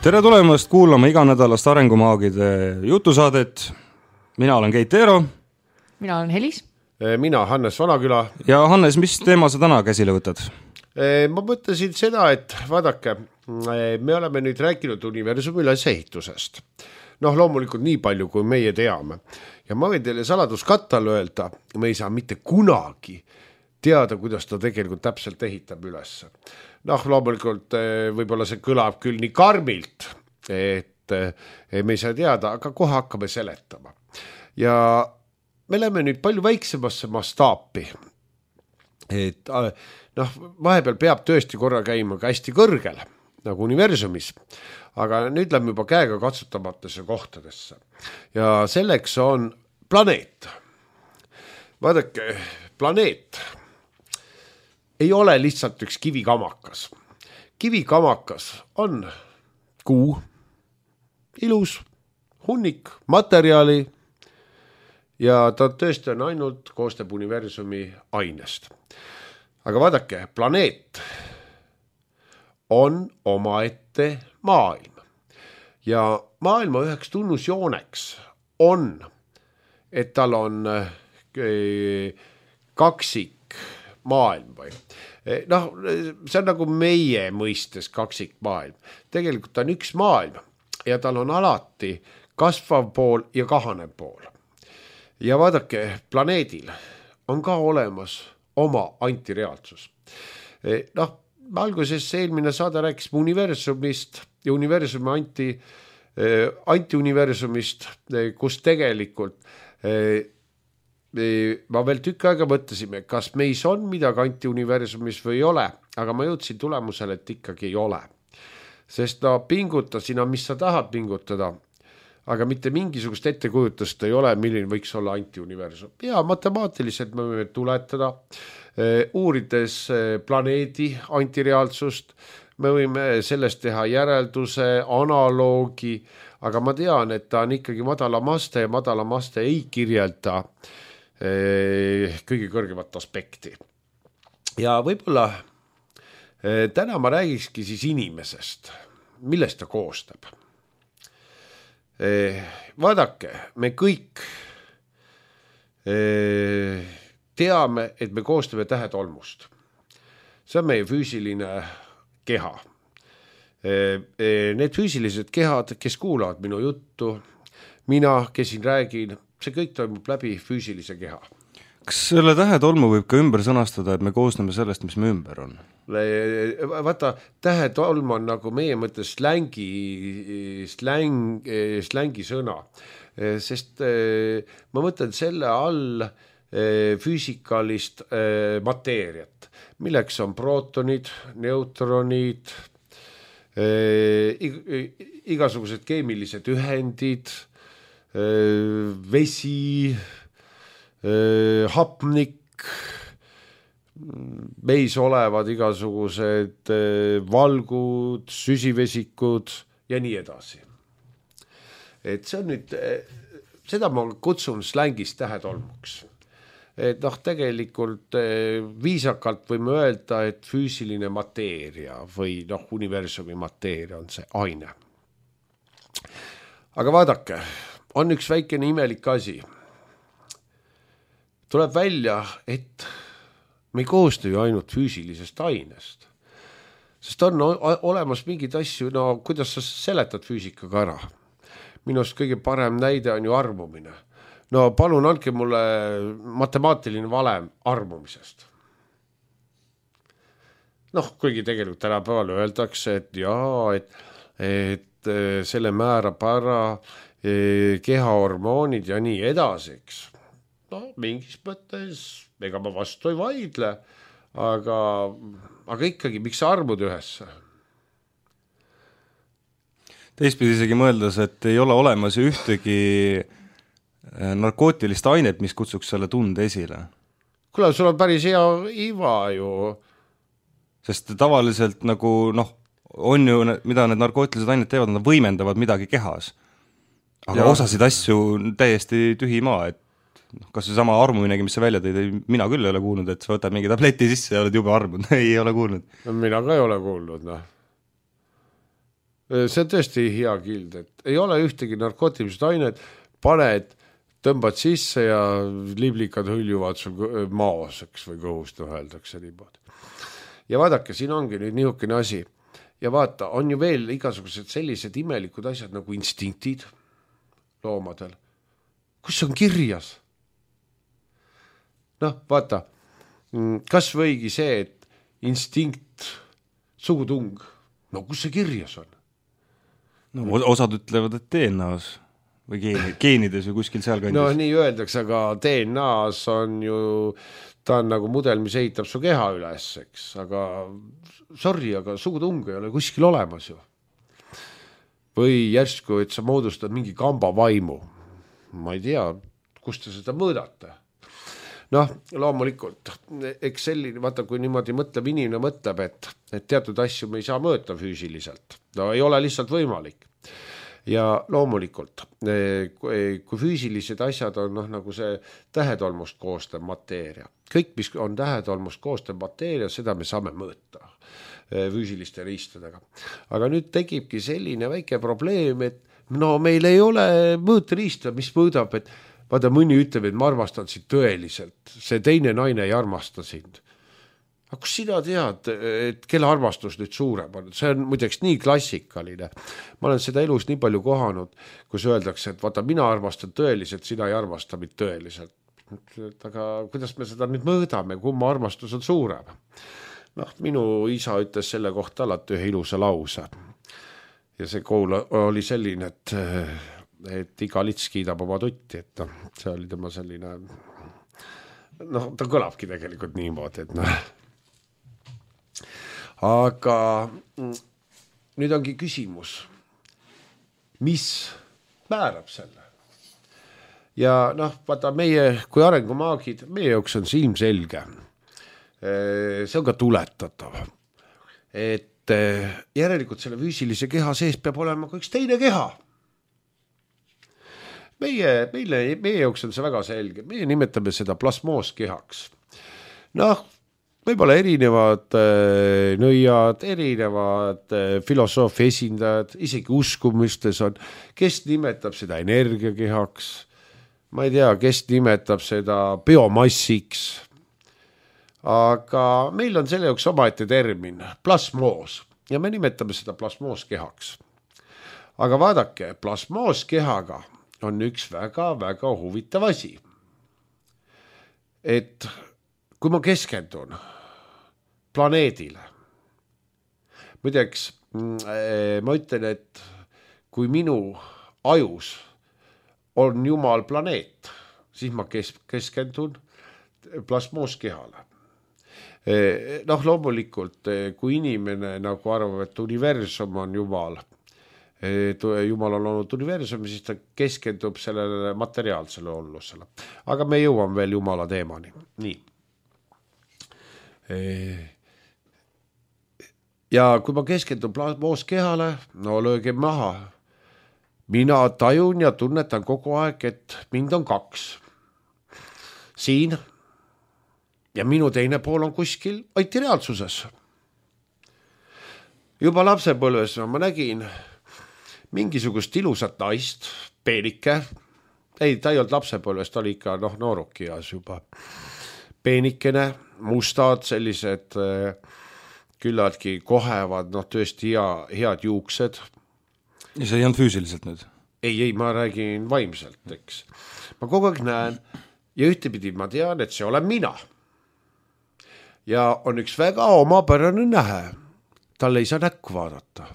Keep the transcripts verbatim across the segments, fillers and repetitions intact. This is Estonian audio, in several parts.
Tere tulemast kuulama iganädalast Arengumaagide jutusaadet. Mina olen Keit Eero. Mina olen Helis. Mina Hannes Vanaküla. Ja Hannes, mis teema sa täna käsile võtad? Ma mõtlesin seda, et vaadake, me oleme nüüd rääkinud universumi ülesehitusest. Noh, loomulikult nii palju, kui meie teame. Ja ma võin teile saladuskattal öelda, me ei saa mitte kunagi teada, kuidas ta tegelikult täpselt ehitab üles. Noh, loomulikult võib-olla see kõlab küll nii karmilt, et me ei saa teada, aga kohe hakkame seletama. Ja me läheme nüüd palju väiksemasse mastaapi. Et noh, vahepeal peab tõesti korra käima ka hästi kõrgel, nagu universumis, aga nüüd läheme juba käega katsutamatesse kohtadesse. Ja selleks on planeet. Vaadake, planeet ei ole lihtsalt üks kivikamakas. Kivikamakas on kuu, ilus, hunnik, materjali ja ta tõesti on ainult koostab universumi ainest. Aga vaadake, planeet on omaette maailm. Ja maailma üheks tunnusjooneks on, et tal on kaksik maailm või. Noh, see on nagu meie mõistes kaksik maailm. Tegelikult on üks maailm ja tal on alati kasvav pool ja kahanev pool. Ja vaadake, planeedil on ka olemas oma antireaalsus. Noh, alguses eelmine saade rääkis universumist ja universumi anti, antiuniversumist, kus tegelikult ma veel tükk aega mõtlesime, kas meis on midagi antiuniversumis või ei ole, aga ma jõudsin tulemusele, et ikkagi ei ole. Sest no pinguta sina, mis sa tahad pingutada, aga mitte mingisugust ettekujutust ei ole, milline võiks olla antiuniversum. Ja matemaatiliselt me võime tuletada, uurides planeedi antireaalsust, me võime sellest teha järelduse, analoogi, aga ma tean, et ta on ikkagi madalamaste ja madalamaste ei kirjelda kõige kõrgemat aspekti. Ja võib-olla täna ma räägikski siis inimesest, millest ta koostab. Vaadake, me kõik teame, et me koostame tähetolmust. See on meie füüsiline keha. Need füüsilised kehad, kes kuulavad minu juttu, mina, kes siin räägin, see kõik toimub läbi füüsilise keha. Kas selle tähetolmu võib ka ümber sõnastada, et me koosneme sellest, mis me ümber on? Vaata, tähetolm on nagu meie mõttes slängi, släng, slängi sõna, sest ma mõtlen selle all füüsikalist mateeriat, milleks on prootonid, neutronid, igasugused keemilised ühendid, vesi, hapnik, meis olevad igasugused valgud, süsivesikud ja nii edasi. Et see on nüüd, seda ma kutsun slängist tähetolmuks. Et noh, tegelikult viisakalt võime öelda, et füüsiline mateeria või noh, universumi mateeria on see aine. Aga vaadake, on üks väikene imelik asi. Tuleb välja, et me ei koosta ju ainult füüsilisest ainest. Sest on olemas mingid asju, no kuidas sa seletad füüsikaga ära. Minust kõige parem näide on ju armumine. No palun andke mulle matemaatiline valem armumisest. Noh, kuigi tegelikult tänapäeval öeldakse, et jaa, et, et selle määrab ära kehahormoonid ja nii edasiks. No, mingis mõttes, ega ma vastu ei vaidle, aga, aga ikkagi, miks sa armud ühesse? Teistpidi isegi mõeldes, et ei ole olemas ühtegi narkootilist ainet, mis kutsuks selle tunde esile. Kuule, sul on päris hea iva ju. Sest tavaliselt nagu, noh, on ju, mida need narkootilised ainet teevad, nad võimendavad midagi kehas. Aga ja. Osasid asju täiesti tühi maa, et kas see sama armuminegi, mis sa välja tõid, mina küll ei ole kuulnud, et sa võtad mingi tableti sisse ja oled juba armunud. Ei ole kuulnud. Mina ka ei ole kuulnud, noh. see on tõesti hea kild, et ei ole ühtegi narkootilised ained, paned, tõmbad sisse ja liblikad hõljuvad sul maos, eks, või kõhust öeldakse niimoodi. Ja vaadake, siin ongi nüüd niisugune asi. Ja vaata, on ju veel igasugused sellised imelikud asjad nagu instinktid loomadel. Kus on kirjas? Noh, vaata, kas võigi see, et instinkt, sugutung, no kus see kirjas on? No, osad ütlevad, et D N A-s või geeni, geenides või kuskil seal kandis. No nii öeldakse, aga D N A-s on ju, ta on nagu mudel, mis ehitab su keha üles, eks, aga sorry, aga sugutung ei ole kuskil olemas ju. Või järsku, et sa moodustad mingi kamba vaimu. Ma ei tea, kust te seda mõõdate. Noh, loomulikult, eks selline, vaata, kui niimoodi mõtleb, inimene mõtleb, et, et teatud asju me ei saa mõõta füüsiliselt. No ei ole lihtsalt võimalik. Ja loomulikult, kui füüsilised asjad on noh, nagu see tähetolmust koostav mateeria. Kõik, mis on tähetolmust koostav mateeria, seda me saame mõõta füüsiliste riistadega. Aga nüüd tekibki selline väike probleem, et no meil ei ole mõõteriista, mis mõõdab, et vaata, mõni ütleb, et ma armastan sind tõeliselt, see teine naine ei armasta sind. Aga kus sina tead, et kelle armastus nüüd suurem on? See on muideks nii klassikaline. Ma olen seda elus nii palju kohanud, kus öeldakse, et vaata, mina armastan tõeliselt, sina ei armasta mind tõeliselt. Aga kuidas me seda nüüd mõõdame, kumma armastus on suurem? Noh, minu isa ütles selle kohta alati ühe ilusa lause. Ja see kool oli selline, et, et iga lits kiidab oma tutti, et no, see oli tema selline, noh, ta kõlabki tegelikult niimoodi, et noh. Aga nüüd ongi küsimus, mis määrab selle? Ja noh, vaata meie kui arengumaagid, meie jaoks on see ilmselge. See on ka tuletatav. Et järelikult selle füüsilise keha sees peab olema ka üks teine keha. Meie, meile, meie jaoks on see väga selge. Meie nimetame seda plasmooskehaks. Noh, võib-olla erinevad äh, nõiad, erinevad äh, filosoofi esindajad, isegi uskumistes on, kes nimetab seda energiakehaks, ma ei tea, kes nimetab seda biomassiks, aga meil on selle jaoks omaette termin, plasmoos, ja me nimetame seda plasmooskehaks. Aga vaadake, plasmooskehaga on üks väga-väga huvitav asi, et kui ma keskendun planeedile. Muideks, ma ütlen, et kui minu ajus on Jumal planeet, siis ma keskendun plasmooskehale. Noh, loomulikult, kui inimene nagu arvab, et universum on Jumal, Jumal on olnud universum, siis ta keskendub sellele materiaalsele ollusele. Aga me jõuame veel Jumala teemani. Nii. Ja kui ma keskendun plasmooskehale, no lööge maha. Mina tajun ja tunnetan kogu aeg, et mind on kaks. Siin ja minu teine pool on kuskil aitireaalsuses. Juba lapsepõlves ma nägin mingisugust ilusat naist, peenike. Ei, ta ei olnud lapsepõlves, ta oli ikka noh, noorukias juba. Peenikene, mustad, sellised küllaltki kohevad, noh tõesti hea, head juuksed. Ja see ei olnud füüsiliselt nüüd? Ei, ei, ma räägin vaimselt, eks. Ma kogu aeg näen ja ühtepidi ma tean, et see olen mina. Ja on üks väga omapärane nähe. Talle ei saa näkku vaadata.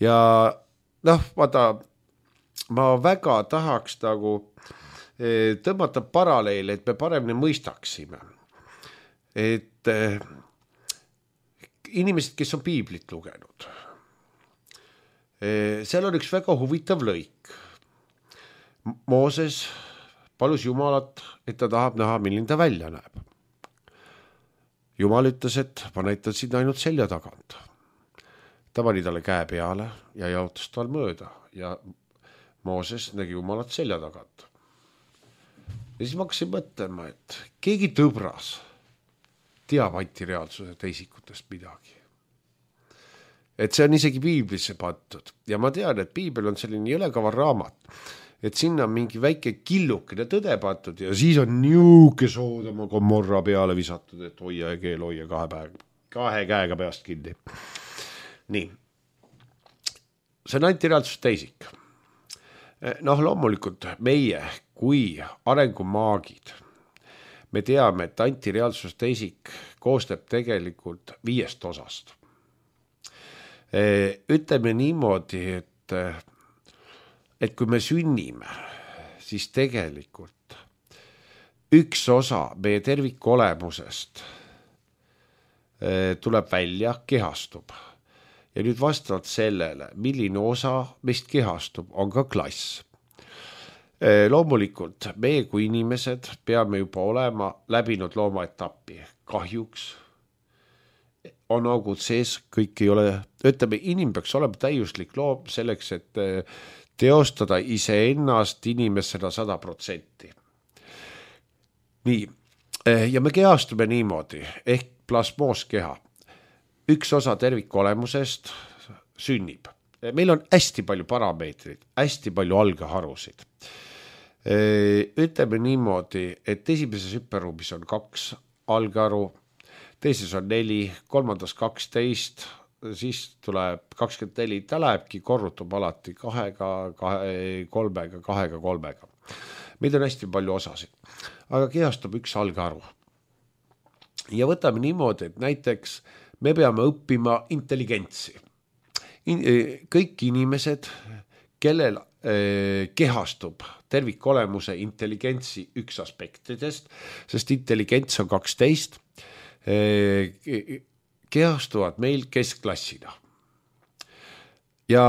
Ja noh, vaata, ma väga tahaks nagu tõmmata paralleele, et me paremini mõistaksime. Et inimesed, kes on piiblit lugenud, seal on üks väga huvitav lõik. Mooses palus Jumalat, et ta tahab näha, milline ta välja näeb. Jumal ütles, et ma näitan sind ainult selja tagant. Ta pani talle käe peale ja jaotas tal mööda ja Mooses nägi Jumalat selja tagant. Ja siis ma hakkasin mõtlema, et keegi tõbras teab antireaalsuse teisikutest midagi. et see on isegi piiblisse pandud ja ma tean, et piibel on selline jõlekaval raamat, et sinna on mingi väike killukene tõde pandud ja siis on niuke Soodoma Gomorra peale visatud, et hoia ja keel hoia kahe, päev, kahe käega peast kinni. Nii, see on antireaalsus teisik. Noh, loomulikult meie kui arengumaagid, me teame, et antireaalsus teisik koostab tegelikult viiest osast. Ütleme niimoodi, et, et kui me sünnime, siis tegelikult üks osa meie tervikolemusest tuleb välja, kehastub. Ja nüüd vastavalt sellele, milline osa meist kehastub, on ka klass. Loomulikult meie kui inimesed peame juba olema läbinud loomaetappi. Kahjuks on augud sees, kõik ei ole, ütleme, inim peaks olema täiuslik loom selleks, et teostada iseennast inimesena sada protsenti. Nii, ja me kehastume niimoodi, ehk plasmooskeha. Üks osa tervikolemusest sünnib. Meil on hästi palju parameetrid, hästi palju algeharusid. Ütleme niimoodi, et esimeses hüpperuumis on kaks algeharu, teises on neli, kolmandas kaksteist, siis tuleb kakskümmend neli, ta lähebki, korrutub alati kahega, kahe, kolmega, kahega, kolmega. Meid on hästi palju osasid, aga kehastub üks algeharu. Ja võtame niimoodi, et näiteks me peame õppima intelligentsi. In, kõik inimesed, kellel eh, kehastub tervikolemuse intelligentsi üks aspektidest, sest intelligents on kaksteist, kehastuvad meil keskklassina. Ja,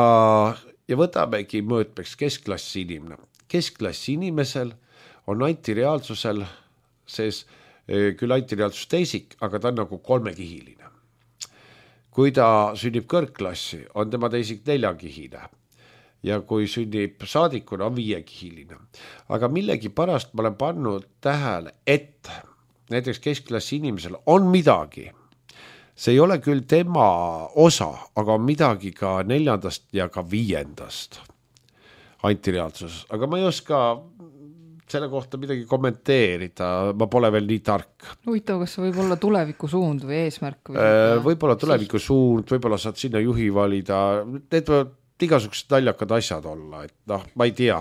ja võtamegi mõõtmeks keskklassi inimene. Keskklassi inimesel on antireaalsusel, sees küll antireaalsus teisik, aga ta on nagu kolmekihiline. Kui ta sünnib kõrgklassi, on tema teisik neljakihine. Ja kui sünnib saadikuna, on viiekihiline. Aga millegi pärast ma olen pannud tähele, et näiteks keskklassi inimesel on midagi. See ei ole küll tema osa, aga on midagi ka neljandast ja ka viiendast antireaalsuses. Aga ma ei oska selle kohta midagi kommenteerida, ma pole veel nii tark. Huvitav, kas see võib olla tuleviku suund või eesmärk? Või äh, võib-olla tuleviku suund, võib-olla saad sinna juhi valida, need võivad igasugused naljakad asjad olla, et noh, ma ei tea.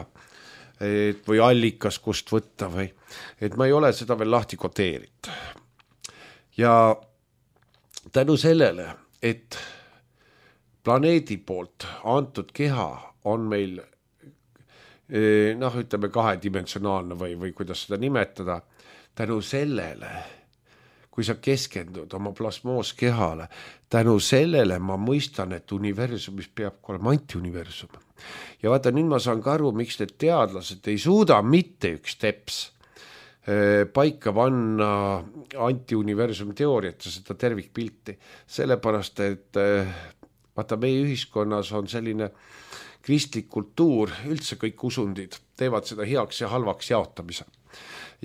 Et või allikas, kust võtta või, et ma ei ole seda veel lahti koteerinud. Ja tänu sellele, et planeedi poolt antud keha on meil noh, ütleme kahedimensionaalne või, või kuidas seda nimetada, tänu sellele, kui sa keskendud oma plasmooskehale, tänu sellele ma mõistan, et universumis peab olema antiuniversum. Ja vaata, nüüd ma saan ka aru, miks need teadlased ei suuda mitte üks teps paika panna antiuniversumi teooriat ja seda tervikpilti. Sellepärast, et vaata, meie ühiskonnas on selline kristlik kultuur, üldse kõik usundid teevad seda heaks ja halvaks jaotamise.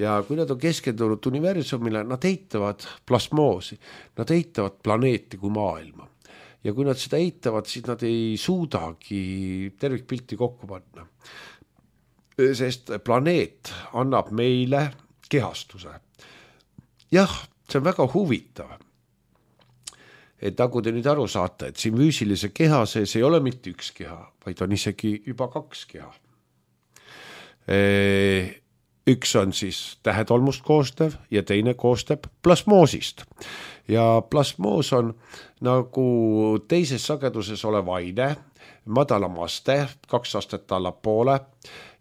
Ja kui nad on keskendunud universumile, nad eitavad plasmoosi, nad eitavad planeeti kui maailma. Ja kui nad seda eitavad, siis nad ei suudagi tervikpilti kokku panna. Sest planeet annab meile kehastuse. Jah, see on väga huvitav. Et nagu te nüüd aru saate, et siin füüsilise keha sees ei ole mitte üks keha, vaid on isegi juba kaks keha. Üks on siis tähetolmust koostev ja teine koostab plasmoosist. Ja plasmoos on nagu teises sageduses olev aine, madalam aste, kaks astet allapoole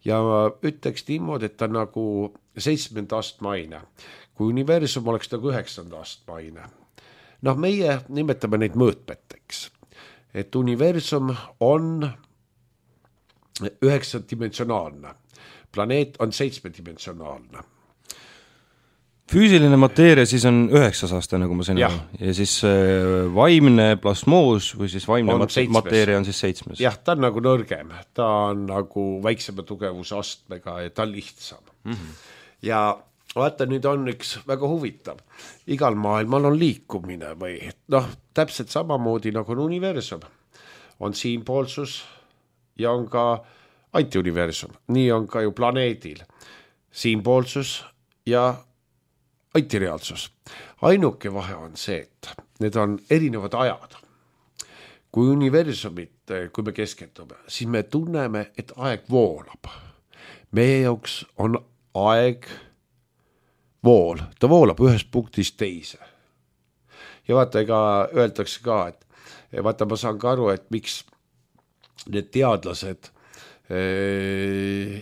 ja ütleks niimoodi, et ta nagu seitsmenda astme aine. Kui universum oleks nagu üheksanda astme aine. Noh, meie nimetame neid mõõtmeteks, et universum on üheksadimensionaalne, planeet on seitsmedimensionaalne. Füüsiline mateeria siis on üheksas aste, nagu ma sain aru. Ja siis vaimne plasmoos või siis vaimne on mateeria on siis seitsmes. Jah, ta on nagu nõrgem, ta on nagu väiksema tugevuse astmega ja ta on lihtsam. Mm-hmm. Ja vaata, nüüd on üks väga huvitav. Igal maailmal on liikumine või noh, täpselt samamoodi nagu on universum. On siinpoolsus ja on ka antiuniversum. Nii on ka ju planeedil. Siinpoolsus ja antireaalsus. Ainuke vahe on see, et need on erinevad ajad. Kui universumit, kui me keskendume, siis me tunneme, et aeg voolab. Meie jaoks on aeg vool, ta voolab ühest punktist teise. Ja vaata, ega öeldakse ka, et vaata, ma saan ka aru, et miks need teadlased äh,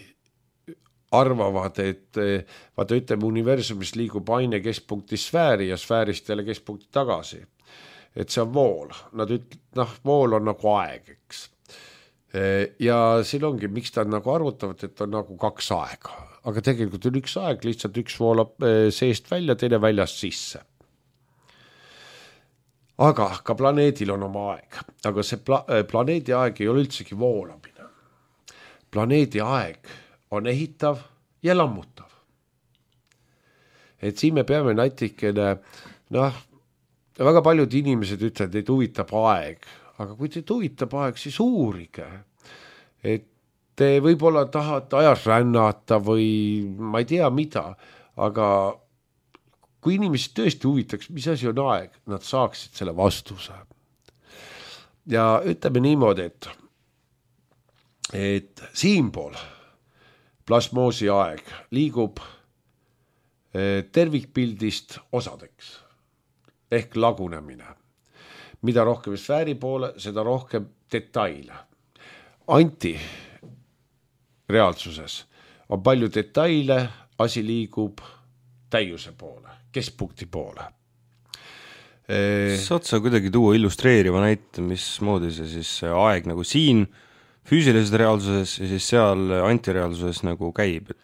arvavad, et vaata, ütleme, universumis liigub aine keskpunktist sfääri ja sfäärist jälle keskpunkti tagasi. Et see on vool. Nad üt-, noh, vool on nagu aeg, eks. Ja siin ongi, miks ta on nagu arvutavad, et on nagu kaks aega. Aga tegelikult on üks aeg, lihtsalt üks voolab seest välja, teine väljast sisse. Aga ka planeedil on oma aeg. Aga see pla- planeedi aeg ei ole üldsegi voolamine. Planeedi aeg on ehitav ja lammutav. Et siin me peame natikene, noh, väga paljud inimesed ütlevad, et huvitab aeg. Aga kui teid huvitab aeg, siis uurige. Et te võib-olla tahate ajas rännata või ma ei tea mida, aga kui inimesed tõesti huvitaks, mis asi on aeg, nad saaksid selle vastuse. Ja ütleme niimoodi, et, et siinpool plasmoosi aeg liigub tervikpildist osadeks ehk lagunemine. Mida rohkem sfääri poole, seda rohkem detaile. Anti reaalsuses on palju detaile, asi liigub täiuse poole, keskpunkti poole. Saad sa kuidagi tuua illustreeriva näite, mismoodi see siis aeg nagu siin füüsilises reaalsuses ja siis seal antireaalsuses nagu käib?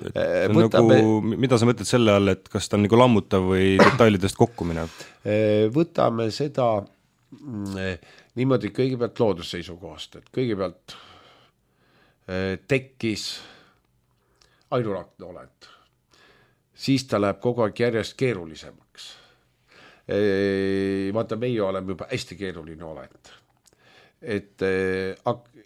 Et, et võtame, nagu, mida sa mõtled selle all, et kas ta on nagu lammutav või detailidest kokku minev? Võtame seda niimoodi kõigepealt loodusseisukohast, et kõigepealt tekkis ainurakne olend. Siis ta läheb kogu aeg järjest keerulisemaks. Vaata, meie oleme juba hästi keeruline olend. Et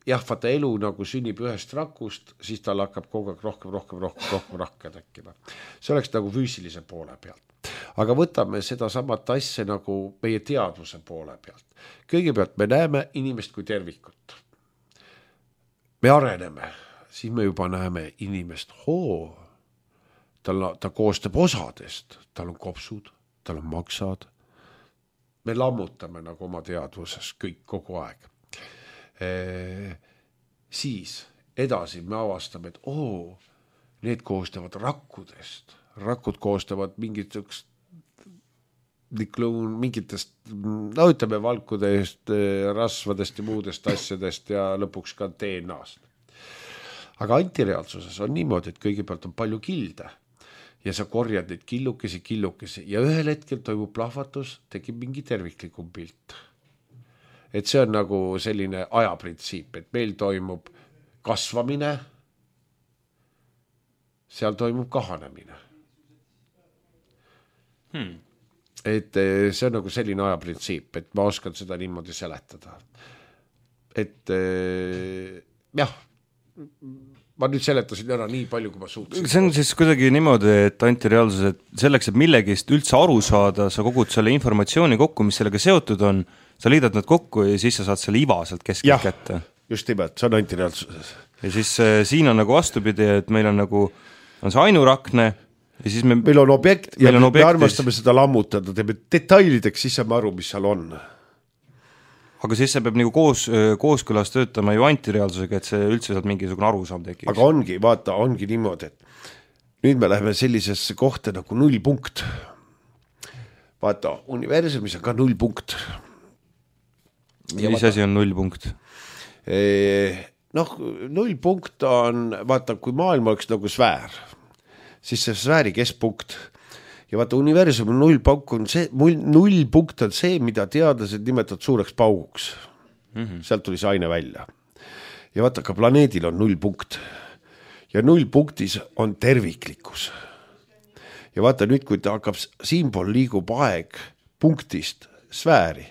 jah, vaata, elu nagu sünnib ühest rakust, siis tal hakkab kogu aeg rohkem, rohkem, rohkem, rohkem rakke tekkima. See oleks nagu füüsilise poole pealt. Aga võtame seda samat asja nagu meie teadvuse poole pealt. Kõigepealt me näeme inimest kui tervikut. Me areneme, siis me juba näeme inimest, hoo, tal, ta koostab osadest, tal on kopsud, tal on maksad. Me lammutame nagu oma teadvuses kõik kogu aeg. E, siis edasi me avastame, et oo, need koostavad rakkudest. Rakud koostavad mingitest, mingitest, no ütleme, valkudest, rasvadest ja muudest asjadest ja lõpuks ka D N A-st. Aga antireaalsuses on niimoodi, et kõigepealt on palju kilde ja sa korjad neid killukesi, killukesi ja ühel hetkel toimub plahvatus, tekib mingi terviklikum pilt. Et see on nagu selline ajaprintsiip, et meil toimub kasvamine, seal toimub kahanemine. Hmm. Et see on nagu selline ajaprintsiip, et ma oskan seda niimoodi seletada. Et jah, ma nüüd seletasin ära nii palju, kui ma suutsin. See on siis kuidagi niimoodi, et antireaalsus, et selleks, et millegist üldse aru saada, sa kogud selle informatsiooni kokku, mis sellega seotud on, sa liidad nad kokku ja siis sa saad selle iva sealt keskelt kätte. Just nimelt, see on antireaalsuses. Ja siis äh, siin on nagu vastupidi, et meil on nagu, on see ainurakne ja siis me... Meil on objekt ja on me armastame seda lammutada, teeme detailideks, siis saame aru, mis seal on. Aga siis see peab nagu koos, kooskõlas töötama ju antireaalsusega, et see üldse sealt mingisugune arusaam tekiks. Aga ongi, vaata, ongi niimoodi, et nüüd me läheme sellisesse kohta nagu nullpunkt. Vaata, universumis on ka nullpunkt. Ja mis asi on nullpunkt? Noh, nullpunkt on, vaata, kui maailm oleks nagu sfäär, siis see sfääri keskpunkt ja vaata, universum on nullpunkt on see, nullpunkt on see, mida teadlased nimetavad suureks pauguks. Mm-hmm. Sealt tuli see aine välja. Ja vaata, ka planeedil on nullpunkt ja nullpunktis on terviklikkus. ja vaata nüüd, kui ta hakkab, siinpool liigub aeg punktist sfääri,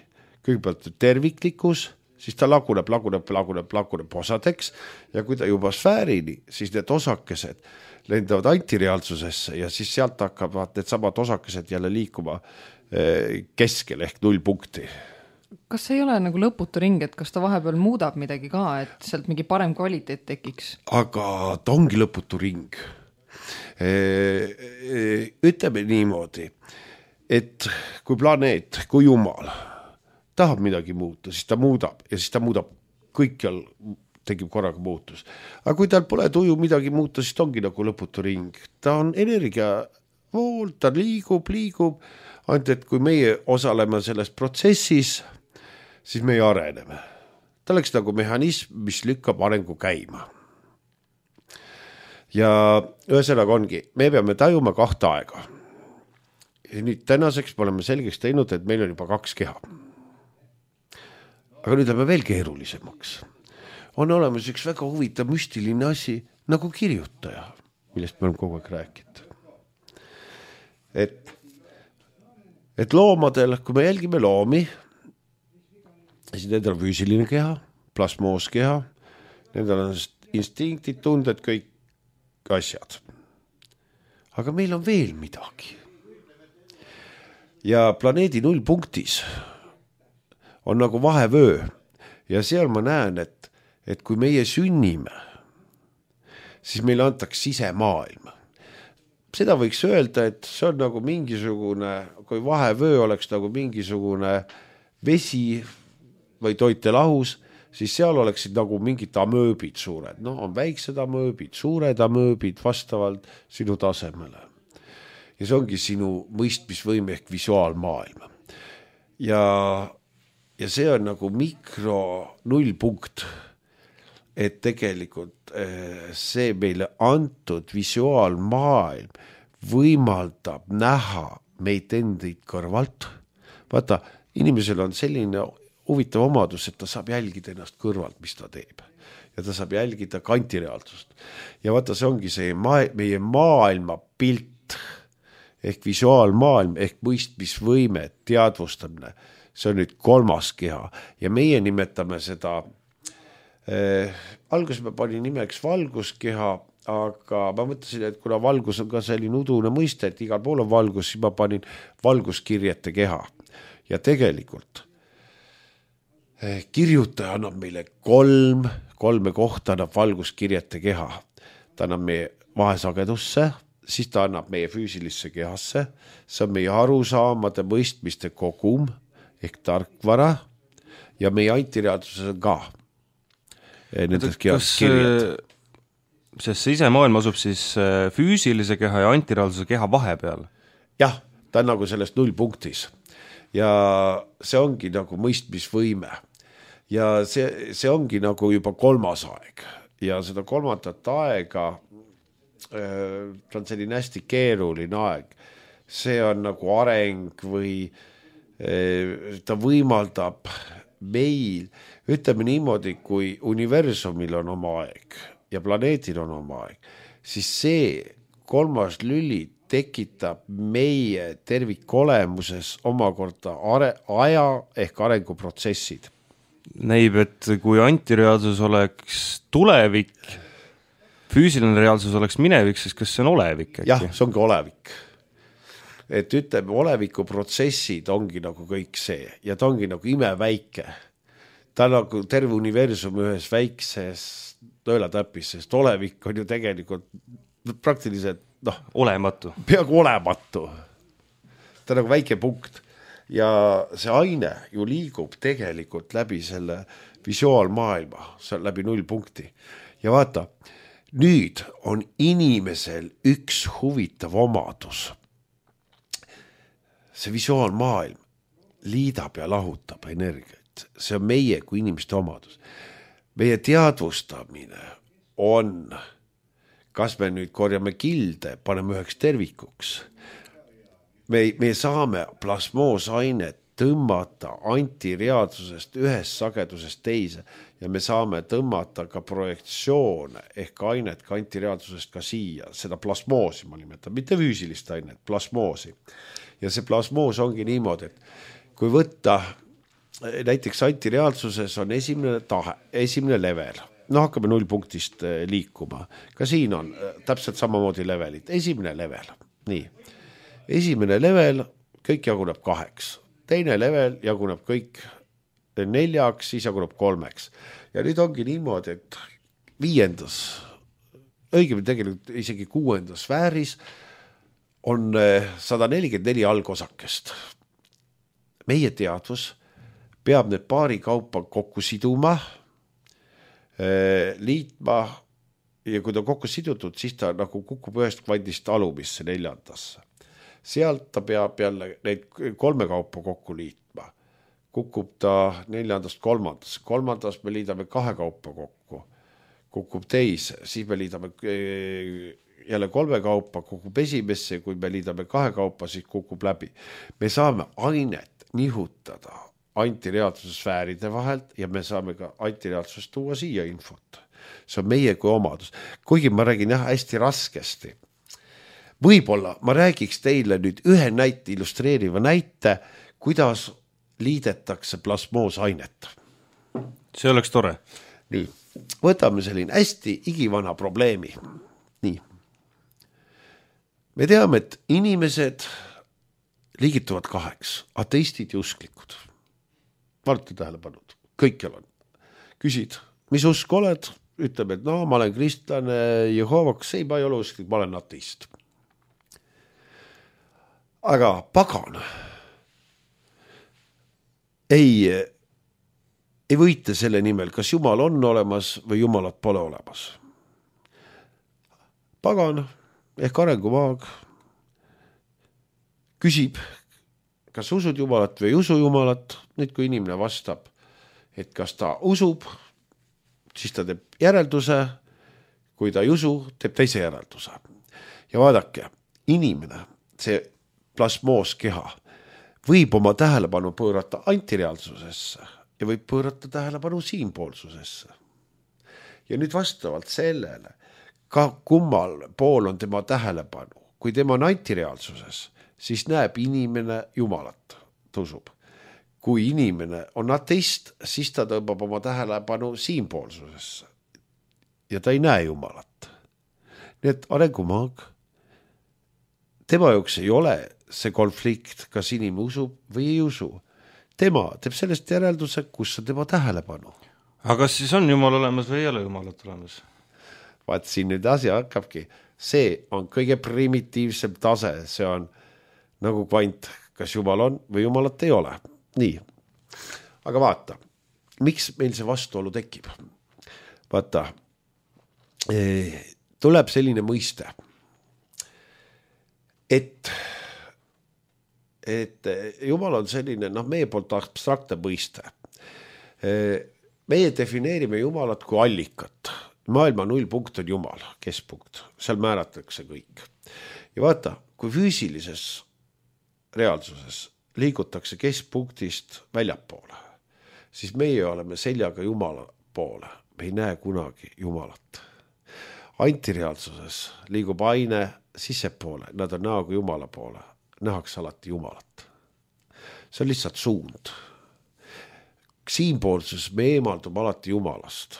kõigepealt terviklikkus, siis ta laguneb, laguneb, laguneb, laguneb osadeks ja kui ta juba sfäärini, siis need osakesed lendavad antireaalsusesse ja siis sealt hakkavad need samad osakesed jälle liikuma keskel ehk null punkti. Kas see ei ole nagu lõputu ring, et kas ta vahepeal muudab midagi ka, et sealt mingi parem kvaliteet tekiks? Aga ta ongi lõputu ring. Ütleme niimoodi, et kui planeet, kui jumal tahab midagi muuta, siis ta muudab ja siis ta muudab kõikjal, tekib korraga muutus. Aga kui tal pole tuju midagi muuta, siis ta ongi nagu lõputu ring. Ta on energia vool, ta liigub, liigub, ainult et kui meie osaleme selles protsessis, siis meie areneme. Ta oleks nagu mehhanism, mis lükkab arengu käima. Ja ühesõnaga ongi, me peame tajuma kahte aega. Ja nüüd tänaseks me oleme selgeks teinud, et meil on juba kaks keha. Aga nüüd läheme veel keerulisemaks. On olemas üks väga huvitav müstiline asi nagu kirjutaja, millest me oleme kogu aeg rääkinud. Et, et loomadel, kui me jälgime loomi, siis nendel on füüsiline keha, plasmooskeha, nendel on instinktid, tunded, kõik asjad. Aga meil on veel midagi. Ja planeedi nullpunktis on nagu vahevöö ja seal ma näen, et, et kui meie sünnime, siis meile antaks sisemaailm. Seda võiks öelda, et see on nagu mingisugune, kui vahevöö oleks nagu mingisugune vesi või toitelahus, siis seal oleksid nagu mingid amööbid suured. No on väiksed amööbid, suured amööbid vastavalt sinu tasemele. Ja see ongi sinu mõistmisvõime ehk visuaalmaailm. Ja Ja see on nagu mikro nullpunkt, et tegelikult see meile antud visuaalmaailm võimaldab näha meid endid kõrvalt. Vaata, inimesel on selline huvitav omadus, et ta saab jälgida ennast kõrvalt, mis ta teeb. Ja ta saab jälgida kantireaalsust. Ja vaata, see ongi see maa, meie maailma pilt ehk visuaalmaailm ehk mõistmisvõime, teadvustamine. See on nüüd kolmas keha ja meie nimetame seda, eh, alguses ma panin nimeks valguskeha, aga ma mõtlesin, et kuna valgus on ka selline udune mõiste, et igal pool on valgus, siis ma panin valguskirjete keha. Ja tegelikult eh, kirjutaja annab meile kolm, kolme kohta annab valguskirjete keha. Ta annab meie vahesagedusse, siis ta annab meie füüsilisse kehasse, see on meie arusaamade mõistmiste kogum, ehk tarkvara ja meie antireaalsuses on ka nendes kehas kirjad. Sest see ise maailm asub siis füüsilise keha ja antireaalsuse keha vahepeal? Jah, ta on nagu selles nullpunktis ja see ongi nagu mõistmisvõime ja see, see ongi nagu juba kolmas aeg ja seda kolmandat aega ta on selline hästi keeruline aeg. See on nagu areng või ta võimaldab meil, ütleme niimoodi, kui universumil on oma aeg ja planeetil on oma aeg, siis see kolmas lüli tekitab meie tervikolemuses omakorda are, aja ehk arenguprotsessid. Näib, et kui antireaalsus oleks tulevik, füüsiline reaalsus oleks minevik, siis kas see on olevik? Äkki? Jah, see ongi olevik. Et ütleme, oleviku protsessid ongi nagu kõik see ja ta ongi nagu imeväike. Ta on nagu terve universum ühes väikses nõelatäpis, sest olevik on ju tegelikult praktiliselt noh, olematu. Peaaegu olematu. Ta on nagu väike punkt ja see aine ju liigub tegelikult läbi selle visuaalmaailma, see on läbi nullpunkti. Ja vaata, nüüd on inimesel üks huvitav omadus. See visuaalmaailm liidab ja lahutab energiat. See on meie kui inimeste omadus. Meie teadvustamine on, kas me nüüd korjame kilde, paneme üheks tervikuks. Me, me saame plasmoosainet tõmmata antireaalsusest ühest sagedusest teise ja me saame tõmmata ka projektsioone ehk ainet ka antireaalsusest ka siia, seda plasmoosi ma nimetan, mitte füüsilist ainet, plasmoosi. Ja see plasmoos ongi niimoodi, et kui võtta näiteks antireaalsuses on esimene tahe, esimene level, no hakkame nullpunktist liikuma, ka siin on täpselt samamoodi levelit, esimene level, nii, esimene level, kõik jaguneb kaheks, teine level jaguneb kõik neljaks, siis jaguneb kolmeks ja nüüd ongi niimoodi, et viiendas, õigemini tegelikult isegi kuuendas sfääris on sada nelikümmend neli algosakest. Meie teadvus peab need paari kaupa kokku siduma, liitma ja kui ta kokku sidutud, siis ta nagu kukub ühest kvandist alumisse neljandasse. Sealt ta peab jälle neid kolme kaupa kokku liitma. Kukub ta neljandast kolmandasse. Kolmandas me liidame kahe kaupa kokku. Kukub teise, siis me liidame jälle kolme kaupa, kukub esimesse, kui me liidame kahe kaupa, siis kukub läbi. Me saame ainet nihutada antireaalsuse sfääride vahelt ja me saame ka antireaalsusest tuua siia infot. See on meie kui omadus. Kuigi ma räägin jah, hästi raskesti. Võib-olla ma räägiks teile nüüd ühe näite, illustreeriva näite, kuidas liidetakse plasmoosainet. See oleks tore. Nii, võtame selline hästi igivana probleemi. Nii. Me teame, et inimesed liigituvad kaheks, ateistid ja usklikud. Vaata tähelepanud, kõikjal on. Küsid, mis usk oled? Ütleb, et no, ma olen kristlane, Jehovaks, ei, ma ei ole usklik, ma olen ateist. Aga pagan ei, ei võite selle nimel, kas Jumal on olemas või Jumalat pole olemas. Pagan ehk arengumaag küsib, kas usud Jumalat või ei usu Jumalat. Nüüd kui inimene vastab, et kas ta usub, siis ta teeb järelduse, kui ta ei usu, teeb teise järelduse. Ja vaadake, inimene, see plasmooskeha võib oma tähelepanu pöörata antireaalsusesse ja võib pöörata tähelepanu siinpoolsusesse. Ja nüüd vastavalt sellele, ka kummal pool on tema tähelepanu. Kui tema on antireaalsuses, siis näeb inimene Jumalat, tõusub. Kui inimene on ateist, siis ta tõmbab oma tähelepanu siinpoolsusesse ja ta ei näe Jumalat. Nii et arengumaag, tema jaoks ei ole see konflikt, kas inimene usub või ei usu. Tema teeb sellest järelduse, kus on tema tähelepanu. Aga kas siis on Jumal olemas või ei ole Jumalat olemas? Vaat siin nüüd asja hakkabki. See on kõige primitiivsem tase, see on nagu kvant, kas Jumal on või Jumalat ei ole. Nii, aga vaata, miks meil see vastuolu tekib? Vaata, tuleb selline mõiste, et, et Jumal on selline, noh, meie poolt abstraktne mõiste. Meie defineerime Jumalat kui allikat. Maailma nullpunkt on Jumal, keskpunkt, seal määratakse kõik. Ja vaata, kui füüsilises reaalsuses liigutakse keskpunktist väljapoole, siis meie oleme seljaga Jumala poole. Me ei näe kunagi Jumalat. Antireaalsuses liigub aine sissepoole, nad on näoga Jumala poole. Nähakse alati Jumalat. See on lihtsalt suund. Siinpoolsuses me eemaldume alati Jumalast.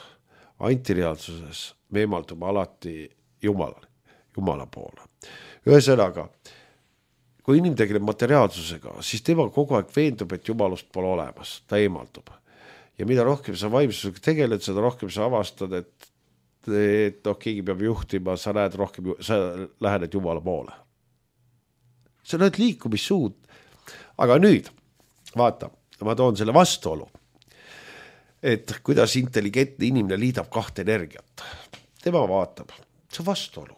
Antireaalsuses me eemaldume alati Jumala, Jumala poole. Ühesõnaga, kui inimene tegeleb materiaalsusega, siis tema kogu aeg veendub, et Jumalust pole olemas, ta eemaldub. Ja mida rohkem sa vaimsusega tegeled, seda rohkem sa avastad, et, et noh, keegi peab juhtima, sa näed rohkem, sa lähened Jumala poole. See on nüüd liikumissuund. Aga nüüd, vaata, ma toon selle vastuolu, et kuidas intelligentne inimene liidab kahte energiat. Tema vaatab, see vastuolu.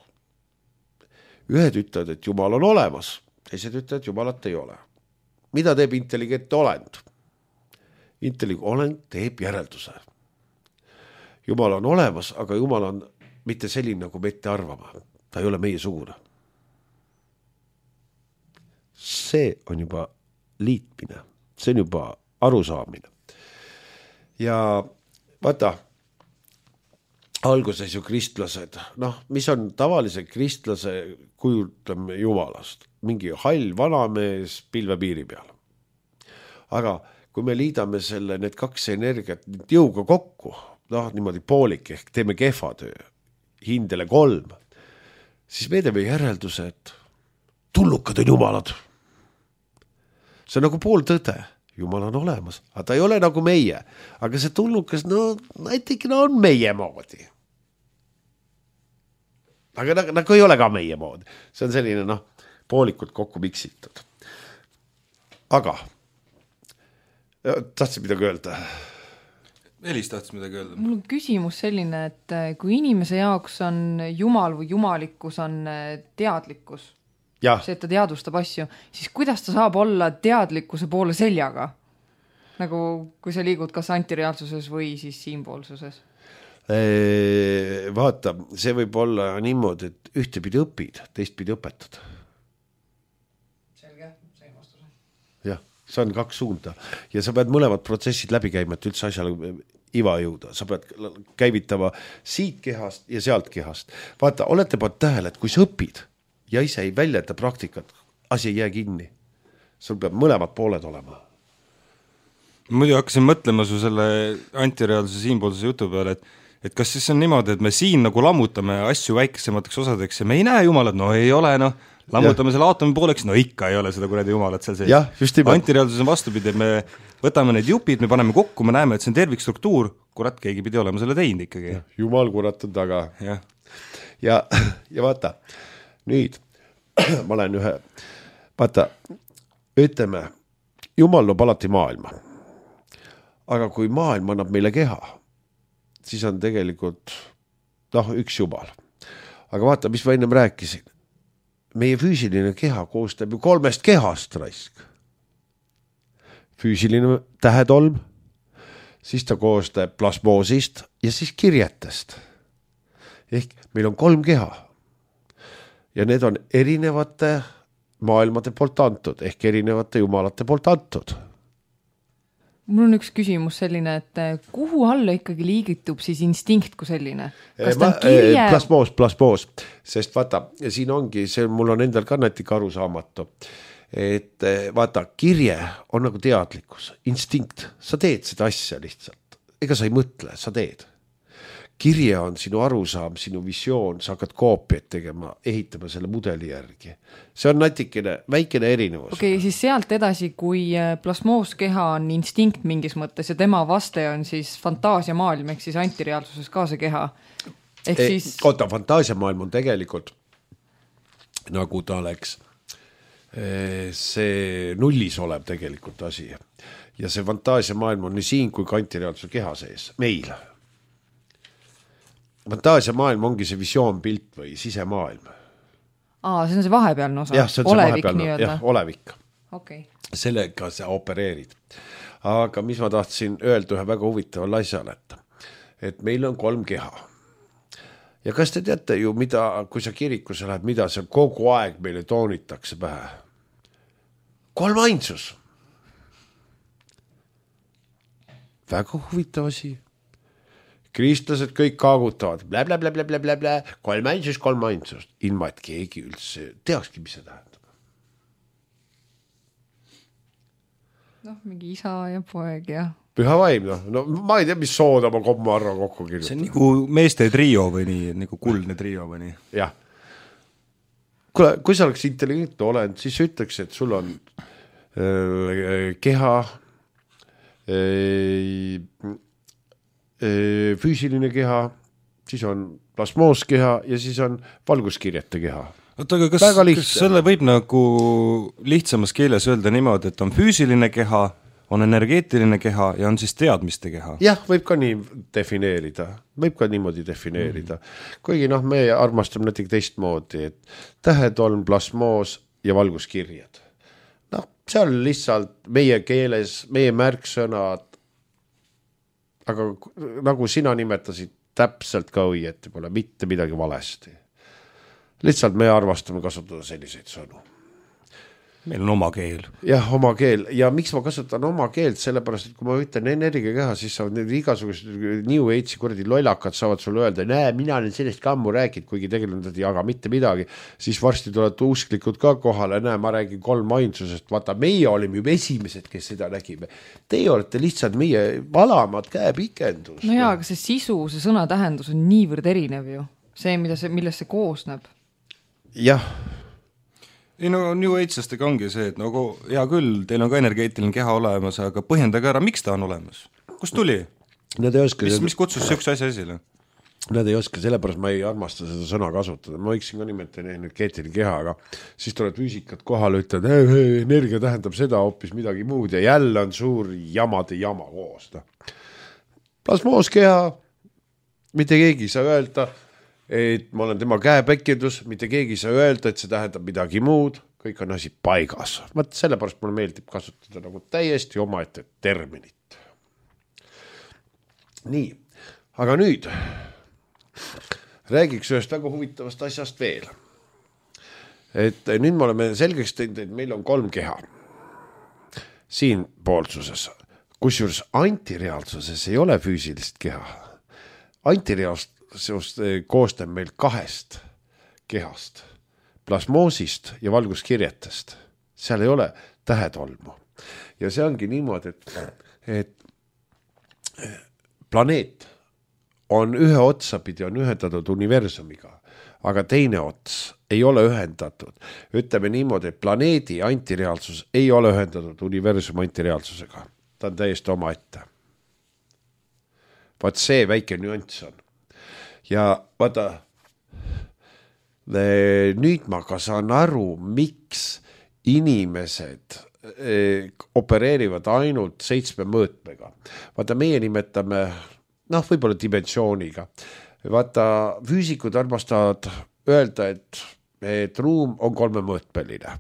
Ühed ütlevad, et Jumal on olemas, teised ütlevad, et Jumalat ei ole. Mida teeb intelligentne olend? Intelligentne olend teeb järelduse. Jumal on olemas, aga Jumal on mitte selline, nagu me ette arvama. Ta ei ole meie sugune. See on juba liitmine. see on juba arusaamine. Ja vaata, alguses ju kristlased, noh, mis on tavalise kristlase kujutleme jumalast, mingi hall vanamees pilvepiiri peal. Aga kui me liidame selle, need kaks energiat jõuga kokku, noh, niimoodi poolik, ehk teeme kehva töö, hindele kolm, siis me teeme järelduse, et tullukad on jumalad. See on nagu pool tõde. Jumal on olemas, aga ta ei ole nagu meie. Aga see tullukas, no näiteks no, on meie moodi. Aga nagu, nagu ei ole ka meie moodi. See on selline, noh, poolikult kokku miksitud. Aga tahtsid midagi öelda? Elis tahtis midagi öelda. Mul on küsimus selline, et kui inimese jaoks on jumal või jumalikkus on teadlikkus, ja. See, et ta teadvustab asju, siis kuidas ta saab olla teadlikkuse poole seljaga? Nagu kui sa liigud kas antireaalsuses või siis siinpoolsuses? Eee, vaata, see võib olla niimoodi, et ühte pidi õpid, teist pidi õpetad. Selge, see vastuse. Jah, see on kaks suunda. Ja sa pead mõlemad protsessid läbi käima, et üldse asjale iva jõuda. Sa pead käivitama siit kehast ja sealt kehast. Vaata, olete pannud tähele, et kui sa õpid ja ise ei väljenda praktikat, asi ei jää kinni. Sul peab mõlemad pooled olema. Muidu hakkasin mõtlema su selle antireaalsuse siinpoolsuse jutu peale, et, et kas siis on niimoodi, et me siin nagu lammutame asju väikesemateks osadeks ja me ei näe jumalat, no ei ole, noh, lammutame ja. Selle aatomi pooleks, no ikka ei ole seda kuradi jumalat seal sees. Antireaalsus on vastupidi, me võtame need jupid, me paneme kokku, me näeme, et see on tervikstruktuur, kurat, keegi pidi olema selle teinud ikkagi. Ja, jumal kurat on taga. Ja, ja, ja vaata, nüüd ma olen ühe, vaata, ütleme, jumal loob alati maailma. Aga kui maailm annab meile keha, siis on tegelikult noh, üks jumal. Aga vaata, mis ma ennem rääkisin. Meie füüsiline keha koostab ju kolmest kehast raisk. Füüsiline tähetolm, siis ta koostab plasmoosist ja siis kirjetest. Ehk meil on kolm keha. Ja need on erinevate maailmade poolt antud, ehk erinevate jumalate poolt antud. Mul on üks küsimus selline, et kuhu alla ikkagi liigitub siis instinkt kui selline? Kas ta on kirje? Plasmoos, plasmoos, sest vaata, siin ongi, see mul on endal ka näitika arusaamatu, et vaata, kirje on nagu teadlikkus, instinkt, sa teed seda asja lihtsalt, ega sa ei mõtle, sa teed. Kirje on sinu arusaam, sinu visioon, sa hakkad koopiat tegema, ehitama selle mudeli järgi. See on natikene väikene erinevus. Okei, okay, siis sealt edasi, kui plasmooskeha on instinkt mingis mõttes ja tema vaste on siis fantaasiamaailm, ehk siis antireaalsuses ka see keha. Ehk e, siis... Oota, fantaasiamaailm on tegelikult, nagu ta oleks, see nullis olev tegelikult asi. Ja see fantaasiamaailm on nii siin kui ka antireaalsuse keha sees, meil. Fantaasia maailm ongi see visioon, pilt või sisemaailm. Aa, see on see vahepealne osa? Jah, see on olevik, see vahepealne, jah, olevik. Okay. Sellega sa opereerid. Aga mis ma tahtsin öelda ühe väga huvitaval asjal, et, et meil on kolm keha. Ja kas te teate ju, mida, kui sa kirikusse lähed, mida see kogu aeg meile toonitakse pähe? Kolm ainsus. Väga huvitav asi. Kristlased kõik kaagutavad, blä, blä, blä, blä, blä, blä, blä, kolm ainsust, kolm ainsust, ilma et keegi üldse teakski, mis see tähendab. Noh, mingi isa ja poeg ja... Püha vaim, noh. No ma ei tea, mis sooda ma komma arra kokku kirjutan. See on nagu meeste trio või nii, nagu kuldne trio või nii. Jah. Kule, kui sa oleks intelligentne olend, siis ütleks, et sul on äh, keha... Äh, füüsiline keha, siis on plasmooskeha ja siis on valguskirjete keha. Oota, aga kas, kas selle võib nagu lihtsamas keeles öelda niimoodi, et on füüsiline keha, on energeetiline keha ja on siis teadmiste keha? Jah, võib ka nii defineerida, võib ka niimoodi defineerida. Mm. Kuigi noh, me armastame näiteks teistmoodi, et tähetolm, plasmoos ja valguskirjad. Noh, see on lihtsalt meie keeles, meie märksõnad, aga nagu sina nimetasid, täpselt ka õieti pole mitte midagi valesti. Lihtsalt me arvastame kasutada selliseid sõnu. meil on oma keel. Jah, oma keel ja miks ma kasutan oma keelt, sellepärast, et kui ma ütlen energiakeha, siis saavad need igasugused New Age'i kuradi lollakad saavad sulle öelda, näe, mina olen sellest ka ammu räägid, kuigi tegelikult ei jaga mitte midagi, siis varsti tulevad usklikud ka kohale, näe, ma räägin kolm ainsusest, vaata, meie olime juba esimesed, kes seda nägime. Teie olete lihtsalt meie valamad käepikendus. No jaa, aga see sisu, see sõna tähendus on niivõrd erinev ju. See, mida see, millest see koosneb. Jah. Ei no New Age'stega ongi see, et nagu hea küll, teil on ka energeetiline keha olemas, aga põhjendage ära, miks ta on olemas? Kus tuli? Nad ei oska mis, mis kutsus sükse asja esile? Nad ei oska, sellepärast ma ei armasta seda sõna kasutada. Ma võiksin ka nimetada energeetiline keha, aga siis tuleb füüsikat kohale, ütled, energia tähendab seda hoopis midagi muud ja jälle on suur jamade jama koos. Plasmooskeha, mitte keegi ei saa öelda, et ma olen tema käepekendus, mitte keegi ei saa öelda, et see tähendab midagi muud, kõik on asi paigas. Vaat sellepärast mulle meeldib kasutada nagu täiesti omaette terminit. Nii, aga nüüd räägiks ühest väga huvitavast asjast veel. Et nüüd me oleme selgeks teinud, et meil on kolm keha siin poolsuses, kusjuures antireaalsuses ei ole füüsilist keha. Antireaalsust koostab meil kahest kehast, plasmoosist ja valguskirjetest. Seal ei ole tähetolmu. Ja see ongi niimoodi, et, et planeet on ühe otsapidi on ühendatud universumiga, aga teine ots ei ole ühendatud. Ütleme niimoodi, et planeedi antireaalsus ei ole ühendatud universumi antireaalsusega. Ta on täiesti oma ette. Vaat see väike nüanss on. Ja vaata, nüüd ma ka saan aru, miks inimesed opereerivad ainult seitsme mõõtmega. Vaata, meie nimetame, noh, võib-olla dimensiooniga. Vaata, füüsikud armastavad öelda, et, et ruum on kolme mõõtmeline.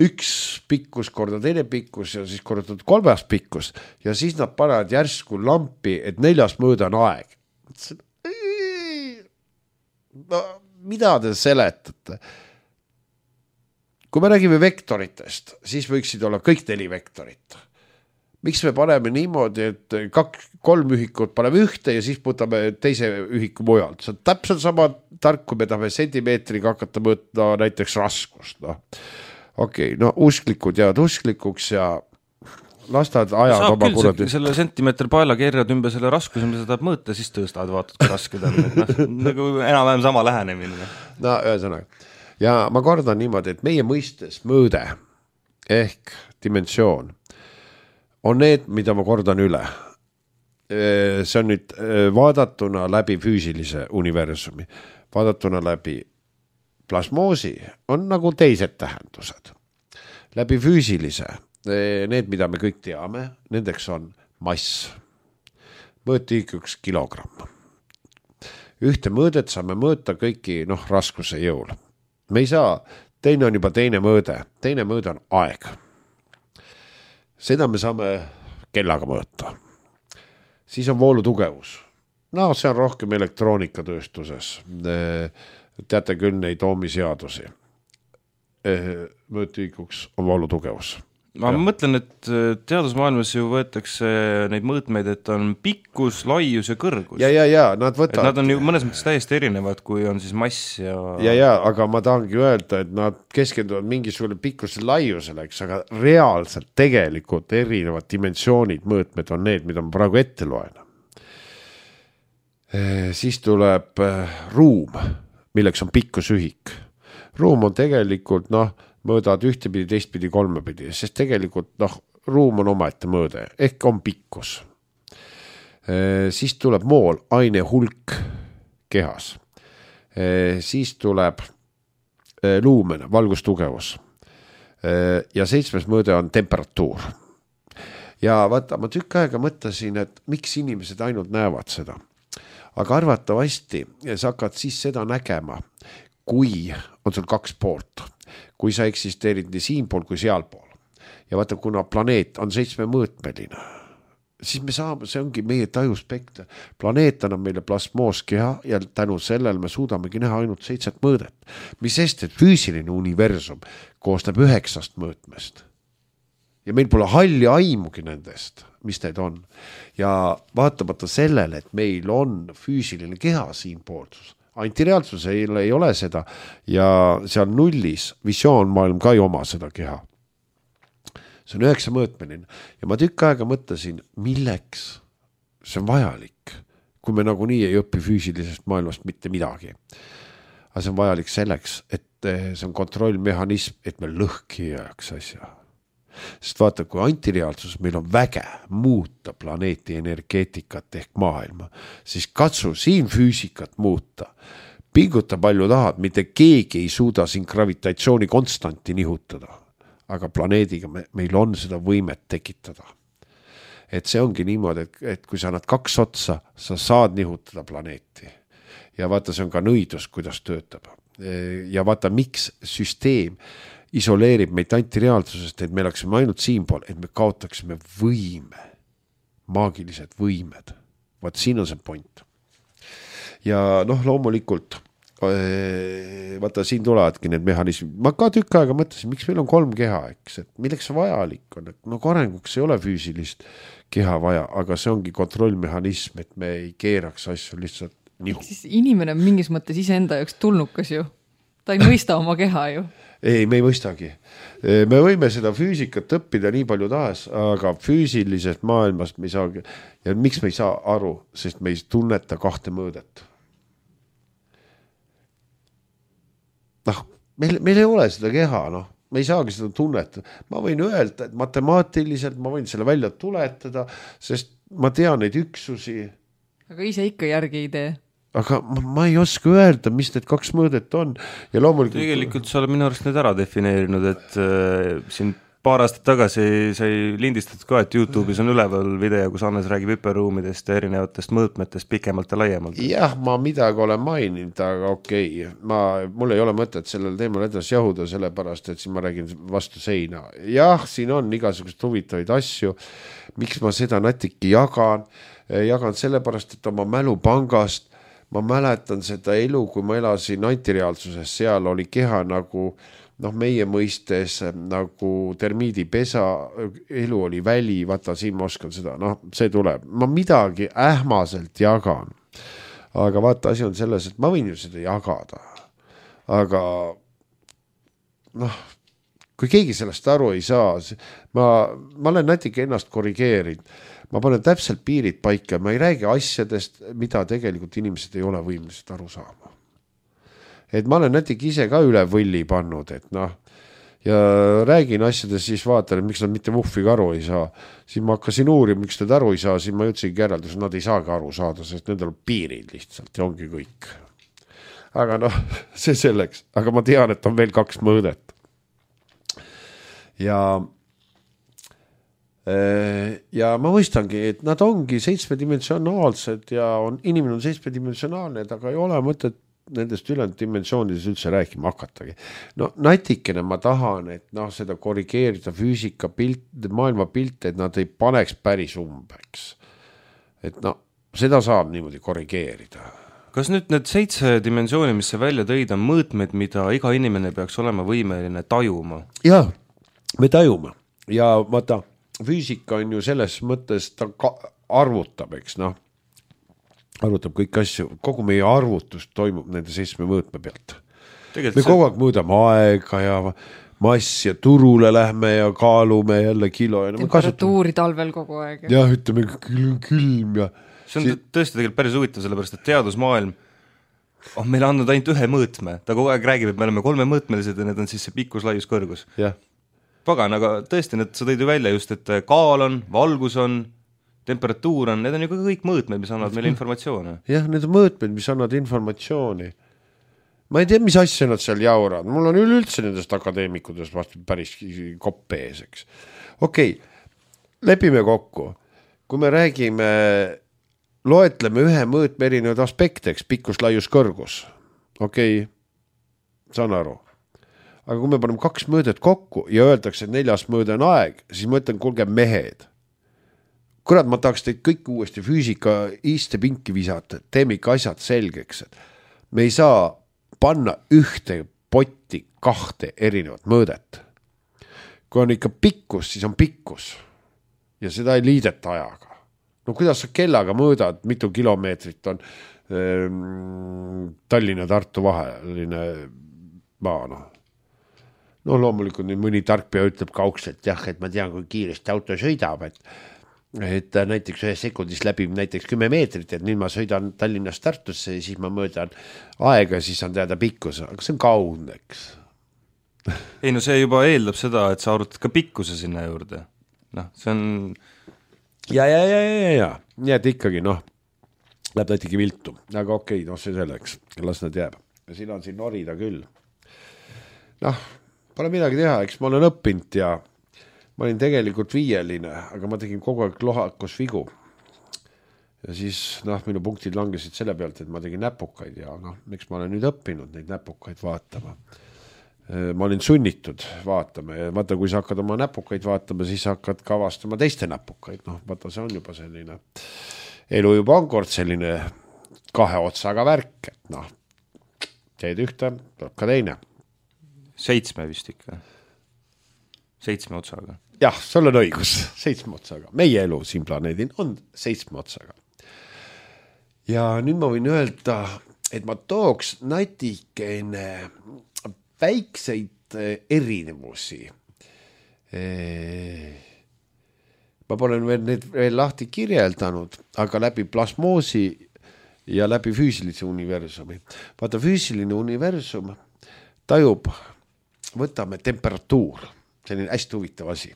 Üks pikkus korda teine pikkus ja siis kordatud kolmas pikkus ja siis nad panevad järsku lampi, et neljas mõõda on aeg. No, mida te seletate? Kui me räägime vektoritest, siis võiksid olla kõik neli vektorit. Miks me paneme niimoodi, et kaks, kolm ühikut paneme ühte ja siis võtame teise ühiku mujalt? See on täpselt sama tark, kui me tahame sentimeetriga hakata mõõta näiteks raskust. No. Okei, okay, no usklikud jäävad usklikuks ja lastad ajad saab oma küll kuradi. Selle sentimeetri paela keerad ümber selle raskuse, mida sa tahad mõõta, siis tõstad, vaatad, kui raske ta on. No, nagu enam-vähem sama lähenemine. No, ühesõnaga. Ja ma kordan niimoodi, et meie mõistes mõõde ehk dimensioon on need, mida ma kordan üle. See on nüüd vaadatuna läbi füüsilise universumi. Vaadatuna läbi plasmoosi on nagu teised tähendused. Läbi füüsilise need, mida me kõik teame, nendeks on mass. Mõõti üks kilogramm. Ühte mõõdet saame mõõta kõiki noh, raskuse jõul. Me ei saa, teine on juba teine mõõde. Teine mõõde on aeg. Seda me saame kellaga mõõta. Siis on voolutugevus. No see on rohkem elektroonikatööstuses. Teate küll neid oomiseadusi. Mõõtühikuks on voolutugevus. Ma ja. mõtlen, et teadusmaailmas ju võetakse neid mõõtmeid, et on pikkus, laius ja kõrgus. Ja, ja, ja, nad võtavad. Et nad on ju mõnes mõttes täiesti erinevad, kui on siis mass ja... Ja, ja, aga ma tahangi öelda, et nad keskenduvad mingisugune pikkuse laiusele, eks, aga reaalselt tegelikult erinevad dimensioonid, mõõtmed on need, mida ma praegu ette loen. Siis tuleb ruum, milleks on pikkusühik. Ruum on tegelikult, noh, mõõdad ühtepidi, teistpidi, kolmepidi, sest tegelikult noh, ruum on omaette mõõde, ehk on pikkus. E, siis tuleb mool, aine hulk kehas. E, siis tuleb e, luumen, valgustugevus. E, ja seitsmes mõõde on temperatuur. Ja vaata, ma tükk aega mõtlesin, et miks inimesed ainult näevad seda. Aga arvatavasti sa hakkad siis seda nägema, kui on sul kaks poolt. Kui sa eksisteerid nii siin pool kui seal pool. Ja vaata, kuna planeet on seitsme mõõtmeline, siis me saame, see ongi meie tajuspekter. Planeet annab meile plasmooskeha ja tänu sellel me suudamegi näha ainult seitset mõõdet. Mis sest, et füüsiline universum koostab üheksast mõõtmest. Ja meil pole halli aimugi nendest, mis need on. Ja vaatamata sellele, et meil on füüsiline keha siin poolsus. Antireaalsus ei, ei ole seda ja seal nullis visioonmaailm ka ei oma seda keha. See on üheksa mõõtmeline ja ma tükk aega mõtlesin, milleks see on vajalik, kui me nagunii ei õpi füüsilisest maailmast mitte midagi. Aga see on vajalik selleks, et see on kontrollmehhanism, et me lõhki jääks asja. Sest vaata, kui antireaalsus meil on väge muuta planeeti energeetikat ehk maailma, siis katsu siin füüsikat muuta. Pinguta palju tahad, mitte keegi ei suuda siin gravitatsiooni konstanti nihutada. Aga planeediga me, meil on seda võimet tekitada. Et see ongi niimoodi, et, et kui sa annad kaks otsa, sa saad nihutada planeeti. Ja vaata, see on ka nõidus, kuidas töötab. Ja vaata, miks süsteem isoleerib meid antireaalsusest, et me oleksime ainult siinpool, et me kaotaksime võime, maagilised võimed. Vaat siin on see point. Ja noh, loomulikult vaata, siin tulevadki need mehhanismid. Ma ka tükk aega mõtlesin, miks meil on kolm keha, eks, et milleks see vajalik on, et no arenguks ei ole füüsilist keha vaja, aga see ongi kontrollmehhanism, et me ei keeraks asju lihtsalt nihu. Siis inimene on mingis mõttes iseenda jaoks tulnukas ju. Ta ei mõista oma keha ju. Ei, me ei mõistagi. Me võime seda füüsikat õppida nii palju tahes, aga füüsilisest maailmast me ei saagi. Ja miks me ei saa aru, sest me ei tunneta kahte mõõdet. Noh, meil, meil ei ole seda keha, noh. Me ei saagi seda tunneta. Ma võin öelda, et matemaatiliselt ma võin selle välja tuletada, sest ma tean neid üksusi. Aga ise ikka järgi ei tee. Aga ma, ma ei oska öelda, mis need kaks mõõdet on. Ja loomulikult... Tegelikult sa oled minu arust nüüd ära defineerinud, et äh, siin paar aastat tagasi sai lindistatud ka, et YouTube'is on üleval video, kus Hannes räägib hüperruumidest ja erinevatest mõõtmetest pikemalt ja laiemalt. Jah, ma midagi olen maininud, aga okei. Ma, mul ei ole mõtet sellel teemal edasi jahuda, sellepärast, et siin ma räägin vastu seina. Jah, siin on igasugust huvitavaid asju. Miks ma seda natuke jagan? Jagan sellepärast, et oma mälupangast ma mäletan seda elu, kui ma elasin antireaalsuses, seal oli keha nagu noh, meie mõistes nagu termiidipesa, elu oli väli, vaata siin ma oskan seda, noh, see tuleb. Ma midagi ähmaselt jagan, aga vaata, asi on selles, et ma võin ju seda jagada, aga noh, kui keegi sellest aru ei saa, ma, ma olen natuke ennast korrigeerinud, ma panen täpselt piirid paika, ma ei räägi asjadest, mida tegelikult inimesed ei ole võimelised aru saama. Et ma olen natuke ise ka üle võlli pannud, et noh, ja räägin asjadest, siis vaatan, et miks nad mitte vuhviga aru ei saa. Siis ma hakkasin uurima, miks nad aru ei saa, siis ma jõudsingi järeldus, nad ei saagi aru saada, sest nendel on piirid lihtsalt ja ongi kõik. Aga noh, see selleks, aga ma tean, et on veel kaks mõõdet. Ja ja ma mõistangi, et nad ongi seitsmedimensionaalsed ja on, inimene on seitsmedimensionaalne, aga ei ole mõtet nendest ülejäänud dimensioonides üldse rääkima hakatagi. No natikene ma tahan, et noh, seda korrigeerida füüsika pilt, maailma pilte, et nad ei paneks päris umbeks. Et noh, seda saab niimoodi korrigeerida. Kas nüüd need seitse dimensiooni, mis see välja tõid, on mõõtmed, mida iga inimene peaks olema võimeline tajuma? Jah, me tajume. Ja vaata, füüsika on ju selles mõttes, ta arvutab, eks noh, arvutab kõik asju, kogu meie arvutus toimub nende seitsme mõõtme pealt. Tegelikult me see... kogu aeg mõõdame aega ja mass ja turule lähme ja kaalume jälle kilo. Ja temperatuuri kasutame... talvel kogu aeg. Ja ütleme külm, külm ja... See on tõesti tegelikult päris huvitav, sellepärast, et teadusmaailm on meile andnud ainult ühe mõõtme. Ta kogu aeg räägib, et me oleme kolme mõõtmelised ja need on siis see pikkus, laius, kõrgus. Jah. Pagan, aga tõesti, need sa tõid ju välja just, et kaal on, valgus on, temperatuur on, need on ju kõik mõõtmed, mis annavad meile informatsioone. Jah, need on mõõtmed, mis annavad informatsiooni. Ma ei tea, mis asja nad seal jaurad. Mul on üleüldse nendest akadeemikudest vastu päris kopp ees, eks. Okei, lepime kokku. Kui me räägime, loetleme ühe mõõtme erinevad aspekteks, pikkus, laius, kõrgus. Okei, saan aru. Aga kui me paneme kaks mõõdet kokku ja öeldakse, et neljas mõõde on aeg, siis ma ütlen, kuulge mehed, kurat, ma tahaks teid kõik uuesti füüsika istepinki visata, teeme ikka asjad selgeks, et me ei saa panna ühte potti kahte erinevat mõõdet. Kui on ikka pikkus, siis on pikkus ja seda ei liideta ajaga. No kuidas sa kellaga mõõdad, mitu kilomeetrit on ähm, Tallinna Tartu vaheline maa, noh. No loomulikult nüüd mõni tarkpea ütleb kaukselt, jah, et ma tean, kui kiiresti auto sõidab, et, et näiteks ühe sekundis läbib näiteks kümme meetrit, et nüüd ma sõidan Tallinnast Tartusse ja siis ma mõõdan aega, siis on teada pikkus, aga see on kaudne, eks. Ei no see juba eeldab seda, et sa arutad ka pikkuse sinna juurde. Noh, see on... Ja, ja, ja, ja, ja, nii et ikkagi, noh, läheb näitegi viltu, aga okei, noh, see selleks, las nad jääb. Ja siin on siin norida küll. Noh, pole midagi teha, eks ma olen õppinud ja ma olin tegelikult viieline, aga ma tegin kogu aeg lohakus vigu. Ja siis, noh, minu punktid langesid selle pealt, et ma tegin näpukaid ja noh, miks ma olen nüüd õppinud neid näpukaid vaatama. Ma olin sunnitud vaatama ja vaata, kui sa hakkad oma näpukaid vaatama, siis hakkad ka avastama teiste näpukaid. Noh, vaata, see on juba selline, elu juba on kord selline kahe otsaga värk, et noh, teed ühte, tuleb ka teine. Seitsme vist ikka. Seitsme otsaga. Jah, sul on õigus, seitsme otsaga. Meie elu siin planeedin on seitsme otsaga. Ja nüüd ma võin öelda, et ma tooks natikene väikseid erinevusi. Ma pole veel need veel lahti kirjeldanud, aga läbi plasmoosi ja läbi füüsilise universumi. Vaata, füüsiline universum tajub, võtame temperatuur, selline hästi huvitav asi.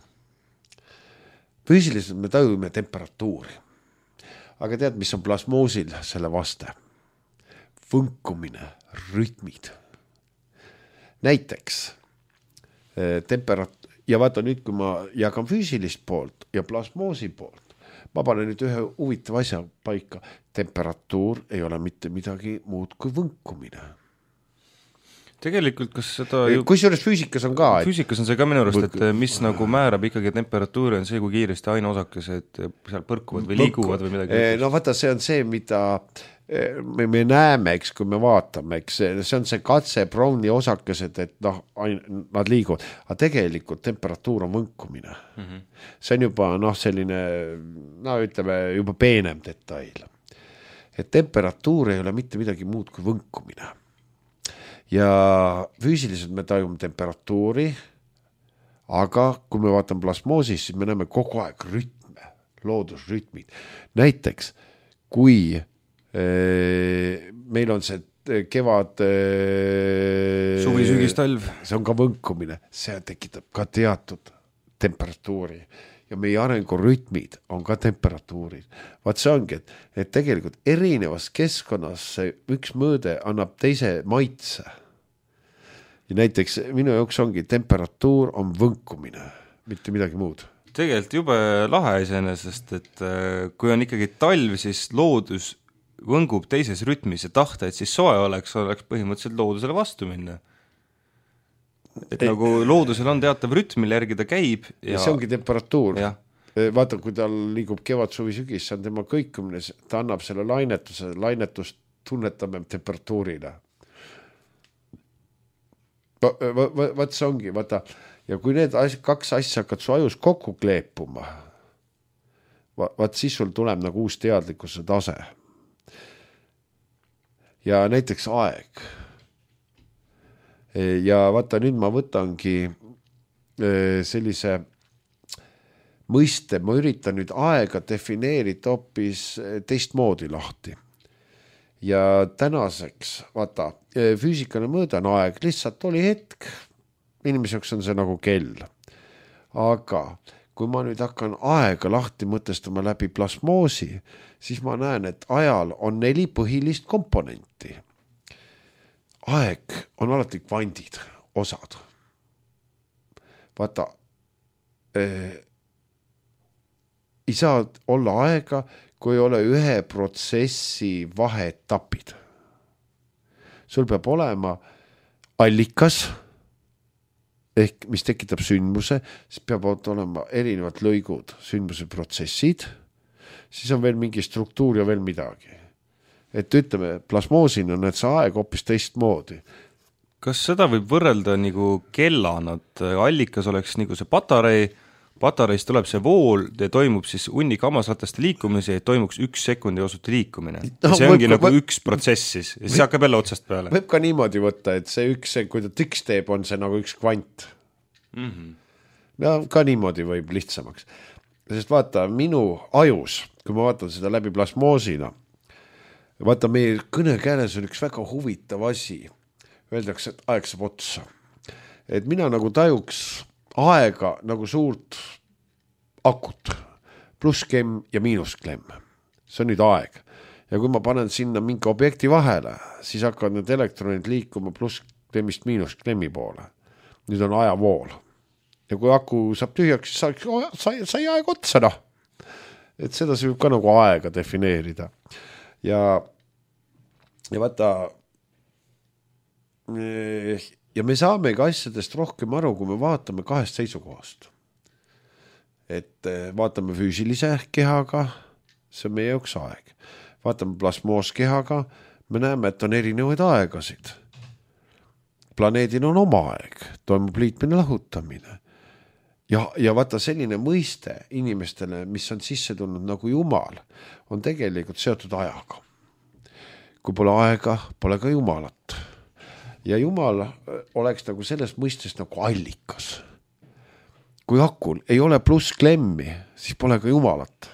Füüsiliselt me tajume temperatuuri, aga tead, mis on plasmoosil selle vaste? Võnkumine, rütmid. Näiteks temperat- ja vaata nüüd, kui ma jagan füüsilist poolt ja plasmoosi poolt, ma panen nüüd ühe huvitav asja paika. Temperatuur ei ole mitte midagi muud kui võnkumine. Tegelikult, kas seda ju... Kui juures füüsikas on ka... Füüsikas on see ka minu arust, et mis nagu määrab ikkagi temperatuuri on see, kui kiiresti aineosakesed seal põrkuvad või liiguvad või midagi. No vaata, see on see, mida me, me näeme, eks, kui me vaatame, eks, see on see katse Browni osakesed, et noh, nad liiguvad, aga tegelikult temperatuur on võnkumine. Mm-hmm. See on juba noh, selline, no ütleme, juba peenem detail. Et temperatuur ei ole mitte midagi muud kui võnkumine. Ja füüsiliselt me tajume temperatuuri, aga kui me vaatame plasmoosis, siis me näeme kogu aeg rütme, loodusrütmid. Näiteks, kui meil on see kevad suvi, sügis, talv, see on ka võnkumine, see tekitab ka teatud temperatuuri ja meie arengurütmid on ka temperatuurid. Vaat see ongi, et, et tegelikult erinevas keskkonnas see üks mõõde annab teise maitse ja näiteks minu jaoks ongi temperatuur on võnkumine, mitte midagi muud. Tegelikult jube lahe iseenesest, et kui on ikkagi talv, siis loodus võngub teises rütmis ja tahta, et siis soe oleks, oleks põhimõtteliselt loodusele vastu minna. Et Ei, nagu loodusel on teatav rütm, mille järgi ta käib. Ja, ja see ongi temperatuur. Ja. Vaata, kui tal liigub kevad, suvi, sügis, see on tema kõikumine, ta annab selle lainetuse, lainetust tunnetame temperatuurile. Va, va, va, vaat see ongi, vaata, ja kui need as, kaks asja hakkad su ajus kokku kleepuma, va, vaat siis sul tuleb nagu uus teadlikkuse tase. Ja näiteks aeg. Ja vaata, nüüd ma võtangi sellise mõiste, ma üritan nüüd aega defineerida hoopis teistmoodi lahti. Ja tänaseks, vaata, füüsikane mõõda on aeg, lihtsalt oli hetk, inimeseks on see nagu kell. Aga kui ma nüüd hakkan aega lahti mõtestama läbi plasmoosi, siis ma näen, et ajal on neli põhilist komponenti. Aeg on alati kvandid, osad. Vaata, eh, ei saa olla aega, kui ei ole ühe protsessi vaheetapid. Sul peab olema allikas, ehk mis tekitab sündmuse, siis peab olema erinevad lõigud, sündmuse protsessid siis on veel mingi struktuur ja veel midagi. Et ütleme, plasmoosina on need see aeg hoopis teistmoodi. Kas seda võib võrrelda nagu kellana, et allikas oleks nagu see patarei, patareist tuleb see vool ja toimub siis hunnik hammasrataste liikumise ja toimuks üks sekundi osuti liikumine. No, see ongi võib, nagu võib, üks protsess siis ja siis hakkab jälle otsast peale. Võib ka niimoodi võtta, et see üks, kui ta tiks teeb, on see nagu üks kvant. Mm-hmm. No ka niimoodi võib lihtsamaks. Sest vaata, minu ajus, kui ma vaatan seda läbi plasmoosina, vaata, meie kõnekäänes on üks väga huvitav asi. Öeldakse, et aeg saab otsa. Et mina nagu tajuks aega nagu suurt akut, pluss klemm ja miinus klemm. See on nüüd aeg. Ja kui ma panen sinna mingi objekti vahele, siis hakkavad need elektronid liikuma pluss klemmist miinus klemmi poole. Nüüd on ajavool. Ja kui aku saab tühjaks, siis sai, sai aeg otsa, noh. Et seda see võib ka nagu aega defineerida. Ja, ja vaata, ja me saamegi asjadest rohkem aru, kui me vaatame kahest seisukohast. Et vaatame füüsilise kehaga, see on meie jaoks aeg. Vaatame plasmooskehaga, me näeme, et on erinevaid aegasid. Planeedil on oma aeg, toimub liitmine lahutamine. Ja, ja vaata selline mõiste inimestele, mis on sisse tulnud nagu Jumal, on tegelikult seotud ajaga. Kui pole aega, pole ka Jumalat. Ja Jumal oleks nagu sellest mõistest nagu allikas. Kui akul ei ole pluss klemmi, siis pole ka Jumalat.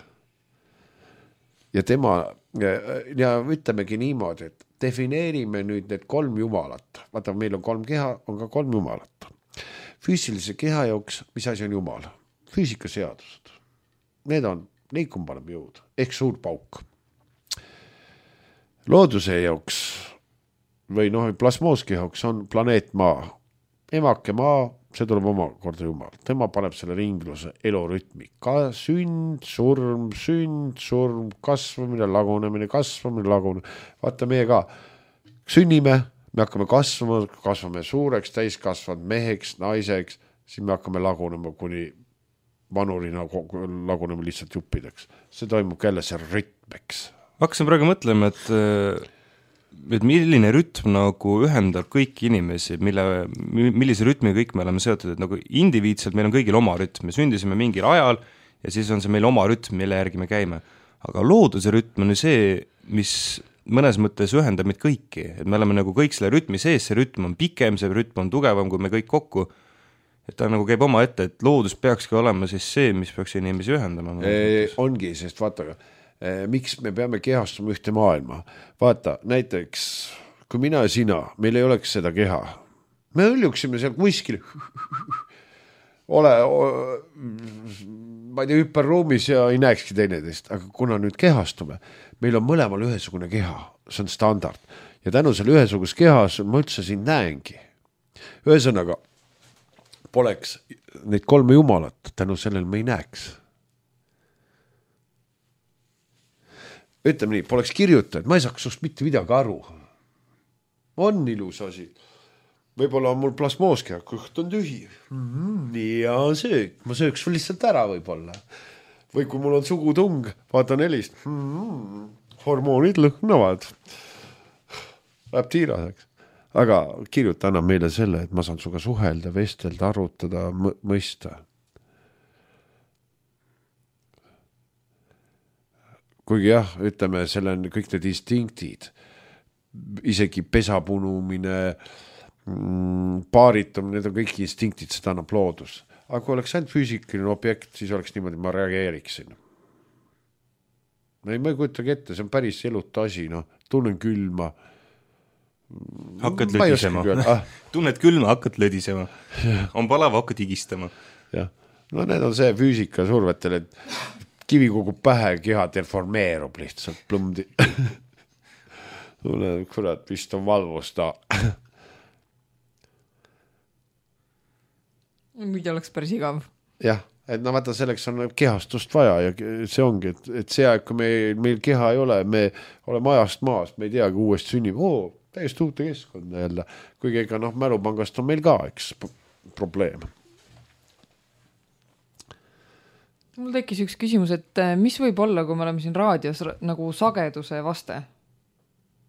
Ja tema, ja ütlemegi niimoodi, et defineerime nüüd need kolm Jumalat. Vaata, meil on kolm keha, on ka kolm Jumalat. Füüsilise keha jaoks, mis asi on Jumal? Füüsikaseadused. Need on liikumpaneb jõud, ehk suur pauk. Looduse jaoks või noh, plasmooski jaoks on planeet Maa. Emake Maa, see tuleb oma korda Jumal. Tema paneb selle ringluse elurütmi. Ka sünd, surm, sünd, surm, kasvamine, lagunemine, kasvamine, lagunemine. Vaata meie ka. Sünnime, me hakkame kasvama, kasvame suureks, täiskasvanud meheks, naiseks, siis me hakkame lagunema kuni vanurina lagunema lihtsalt juppideks. See toimub jälle see rütmeks. Hakkasin praegu mõtlema, et et milline rütm nagu ühendab kõiki inimesi, mille, millise rütmi kõik me oleme seotud, et nagu indiviidselt meil on kõigil oma rütm, me sündisime mingil ajal ja siis on see meil oma rütm, mille järgi me käime. Aga looduse rütm on see, mis mõnes mõttes ühendab meid kõiki, et me oleme nagu kõik selle rütmi sees, see rütm on pikem, see rütm on tugevam, kui me kõik kokku, et ta nagu käib oma ette, et loodus peakski olema siis see, mis peaks inimesi ühendama. E, ongi, sest vaata, miks me peame kehastuma ühte maailma. Vaata, näiteks, kui mina ja sina, meil ei oleks seda keha. Me õljuksime seal kuskil ole, ma ei tea, hüperruumis ja ei näekski teineteist, aga kuna nüüd kehastume, meil on mõlemal ühesugune keha, see on standard. Ja tänu selle ühesugus kehas ma üldse siin näengi. Ühesõnaga, poleks neid kolme jumalat, tänu sellel me ei näeks. Ütleme nii, poleks kirjutajaid, ma ei saaks sust mitte midagi aru. On ilus asi. Võib-olla on mul plasmooskea, kõht on tühi. Mm-hmm, ja söök, ma sööks sul lihtsalt ära võib-olla. Või kui mul on sugutung, vaatan helist. Mm-hmm, hormoonid lõhnavad. Läheb tiiraseks. Aga kirjuta annab meile selle, et ma saan suga suhelda, vestelda, arutada, mõista. Kuigi jah, ütleme, selle on kõik need instinktid, isegi pesapunumine, paaritumine, need on kõik instinktid, seda annab loodus. Aga kui oleks ainult füüsikaline objekt, siis oleks niimoodi, ma reageeriksin. Ei, ma ei kujutagi ette, see on päris eluta asi, no, tunnen külma. Hakkad lödisema. Ah. Tunned külma, hakkad lödisema. On palava, hakkad higistama. Ja. No need on see füüsika survetel, et kivi kogub pähe, keha deformeerub lihtsalt plumdi. Kurat, vist on valvus ta. Mida oleks päris igav. Jah, et no vaata, selleks on kehastust vaja ja see ongi, et, et see aeg, kui meil, meil keha ei ole, me oleme ajast maas, me ei teagi uuesti sünnib, oo, täiesti uute keskkonda jälle. Kuigi ega noh, mälupangast on meil ka, eks, probleem. Mul tekkis üks küsimus, et mis võib olla, kui me oleme siin raadios nagu sageduse vaste?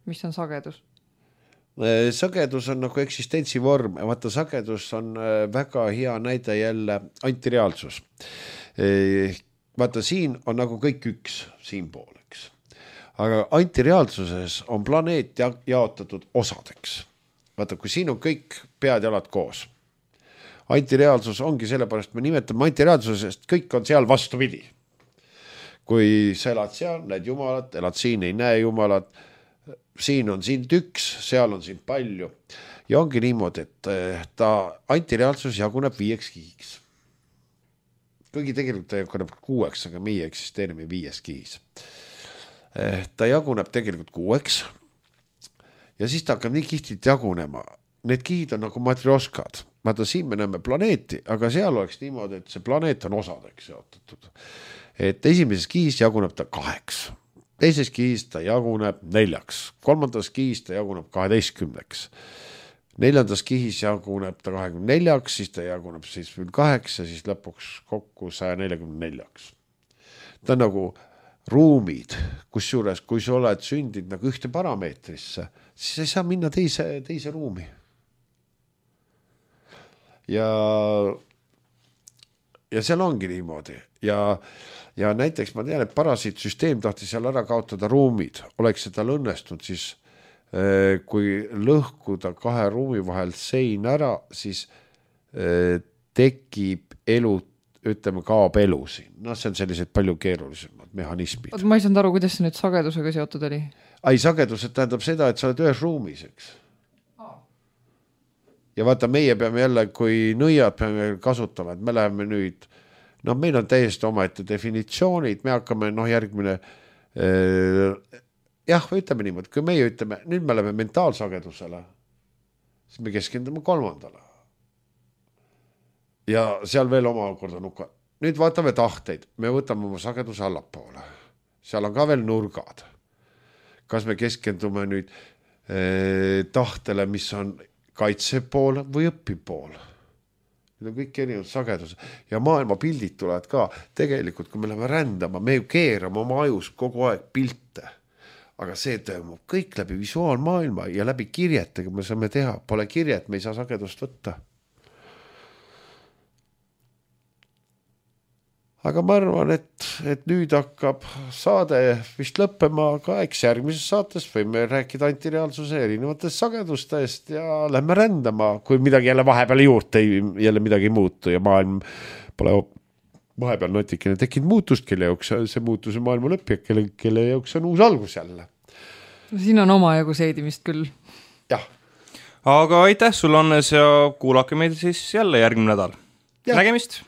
Mis on sagedus? Sagedus on nagu eksistentsivorm, vaata sagedus on väga hea näide jälle antireaalsus. Vaata siin on nagu kõik üks siin pool, eks. Aga antireaalsuses on planeet jaotatud osadeks. Vaata, kui siin on kõik pead jalad koos. Antireaalsus ongi sellepärast, me nimetame antireaalsusest, kõik on seal vastupidi. Kui sa elad seal, näed jumalat, elad siin, ei näe jumalat, siin on sind üks, seal on siin palju. Ja ongi niimoodi, et ta antireaalsus jaguneb viieks kihiks. Kuigi tegelikult ta jaguneb kuueks, aga meie eksisteerime viies kihis. Ta jaguneb tegelikult kuueks ja siis ta hakkab nii kihtilt jagunema. Need kihid on nagu matrioskad. Vaata, siin me näeme planeeti, aga seal oleks niimoodi, et see planeet on osadeks jaotatud. Et esimeses kihis jaguneb ta kaheks. Teises kihis ta jaguneb neljaks, kolmandas kihis ta jaguneb kaheteistkümneks, neljandas kihis jaguneb ta kahekümne neljaks, siis ta jaguneb seitsmekümne kaheks ja siis lõpuks kokku saja neljakümne neljaks. Ta on nagu ruumid, kus juures, kui sa oled sündinud nagu ühte parameetrisse, siis ei saa minna teise, teise ruumi. Ja, ja seal ongi niimoodi ja Ja näiteks ma tean, et parasiitsüsteem tahtis seal ära kaotada ruumid. Oleks seda õnnestunud, siis kui lõhkuda kahe ruumi vahel sein ära, siis tekib elu, ütleme, kaob elu siin. No see on sellised palju keerulisemad mehhanismid. Ma ei saanud aru, kuidas see nüüd sagedusega seotud oli? Ai, sagedused tähendab seda, et sa oled ühes ruumis, eks. Ja vaata, meie peame jälle, kui nõiad peame kasutama, et me läheme nüüd no meil on täiesti omaette definitsioonid, me hakkame noh järgmine äh, jah, ütleme niimoodi, kui meie ütleme, nüüd me oleme mentaalsagedusele, siis me keskendume kolmandale. Ja seal veel omakorda nuka. Nüüd vaatame tahteid, me võtame oma sageduse allapoole. Seal on ka veel nurgad. Kas me keskendume nüüd äh, tahtele, mis on kaitsepool või õpipool? Need on kõik erinevad sagedused ja maailma pildid tulevad ka. Tegelikult, kui me läheme rändama, me ju keerame oma ajus kogu aeg pilte. Aga see toimub kõik läbi visuaalmaailma ja läbi kirjetega me saame teha. Pole kirjet, me ei saa sagedust võtta. Aga ma arvan, et, et nüüd hakkab saade vist lõppema, aga eks järgmises saates võime rääkida antireaalsuse erinevatest sagedustest ja lähme rändama, kui midagi jälle vahepeal juurde ei, jälle midagi ei muutu ja maailm pole vahepeal notikene tekkinud muutust, kelle jooks see muutuse maailma lõpp ja kelle, kelle jooks on uus algus jälle. Siin on oma jagu seedimist küll. Jah. Aga aitäh sulle, Annes, ja kuulake meid siis jälle järgmine nädal. Ja. Nägemist!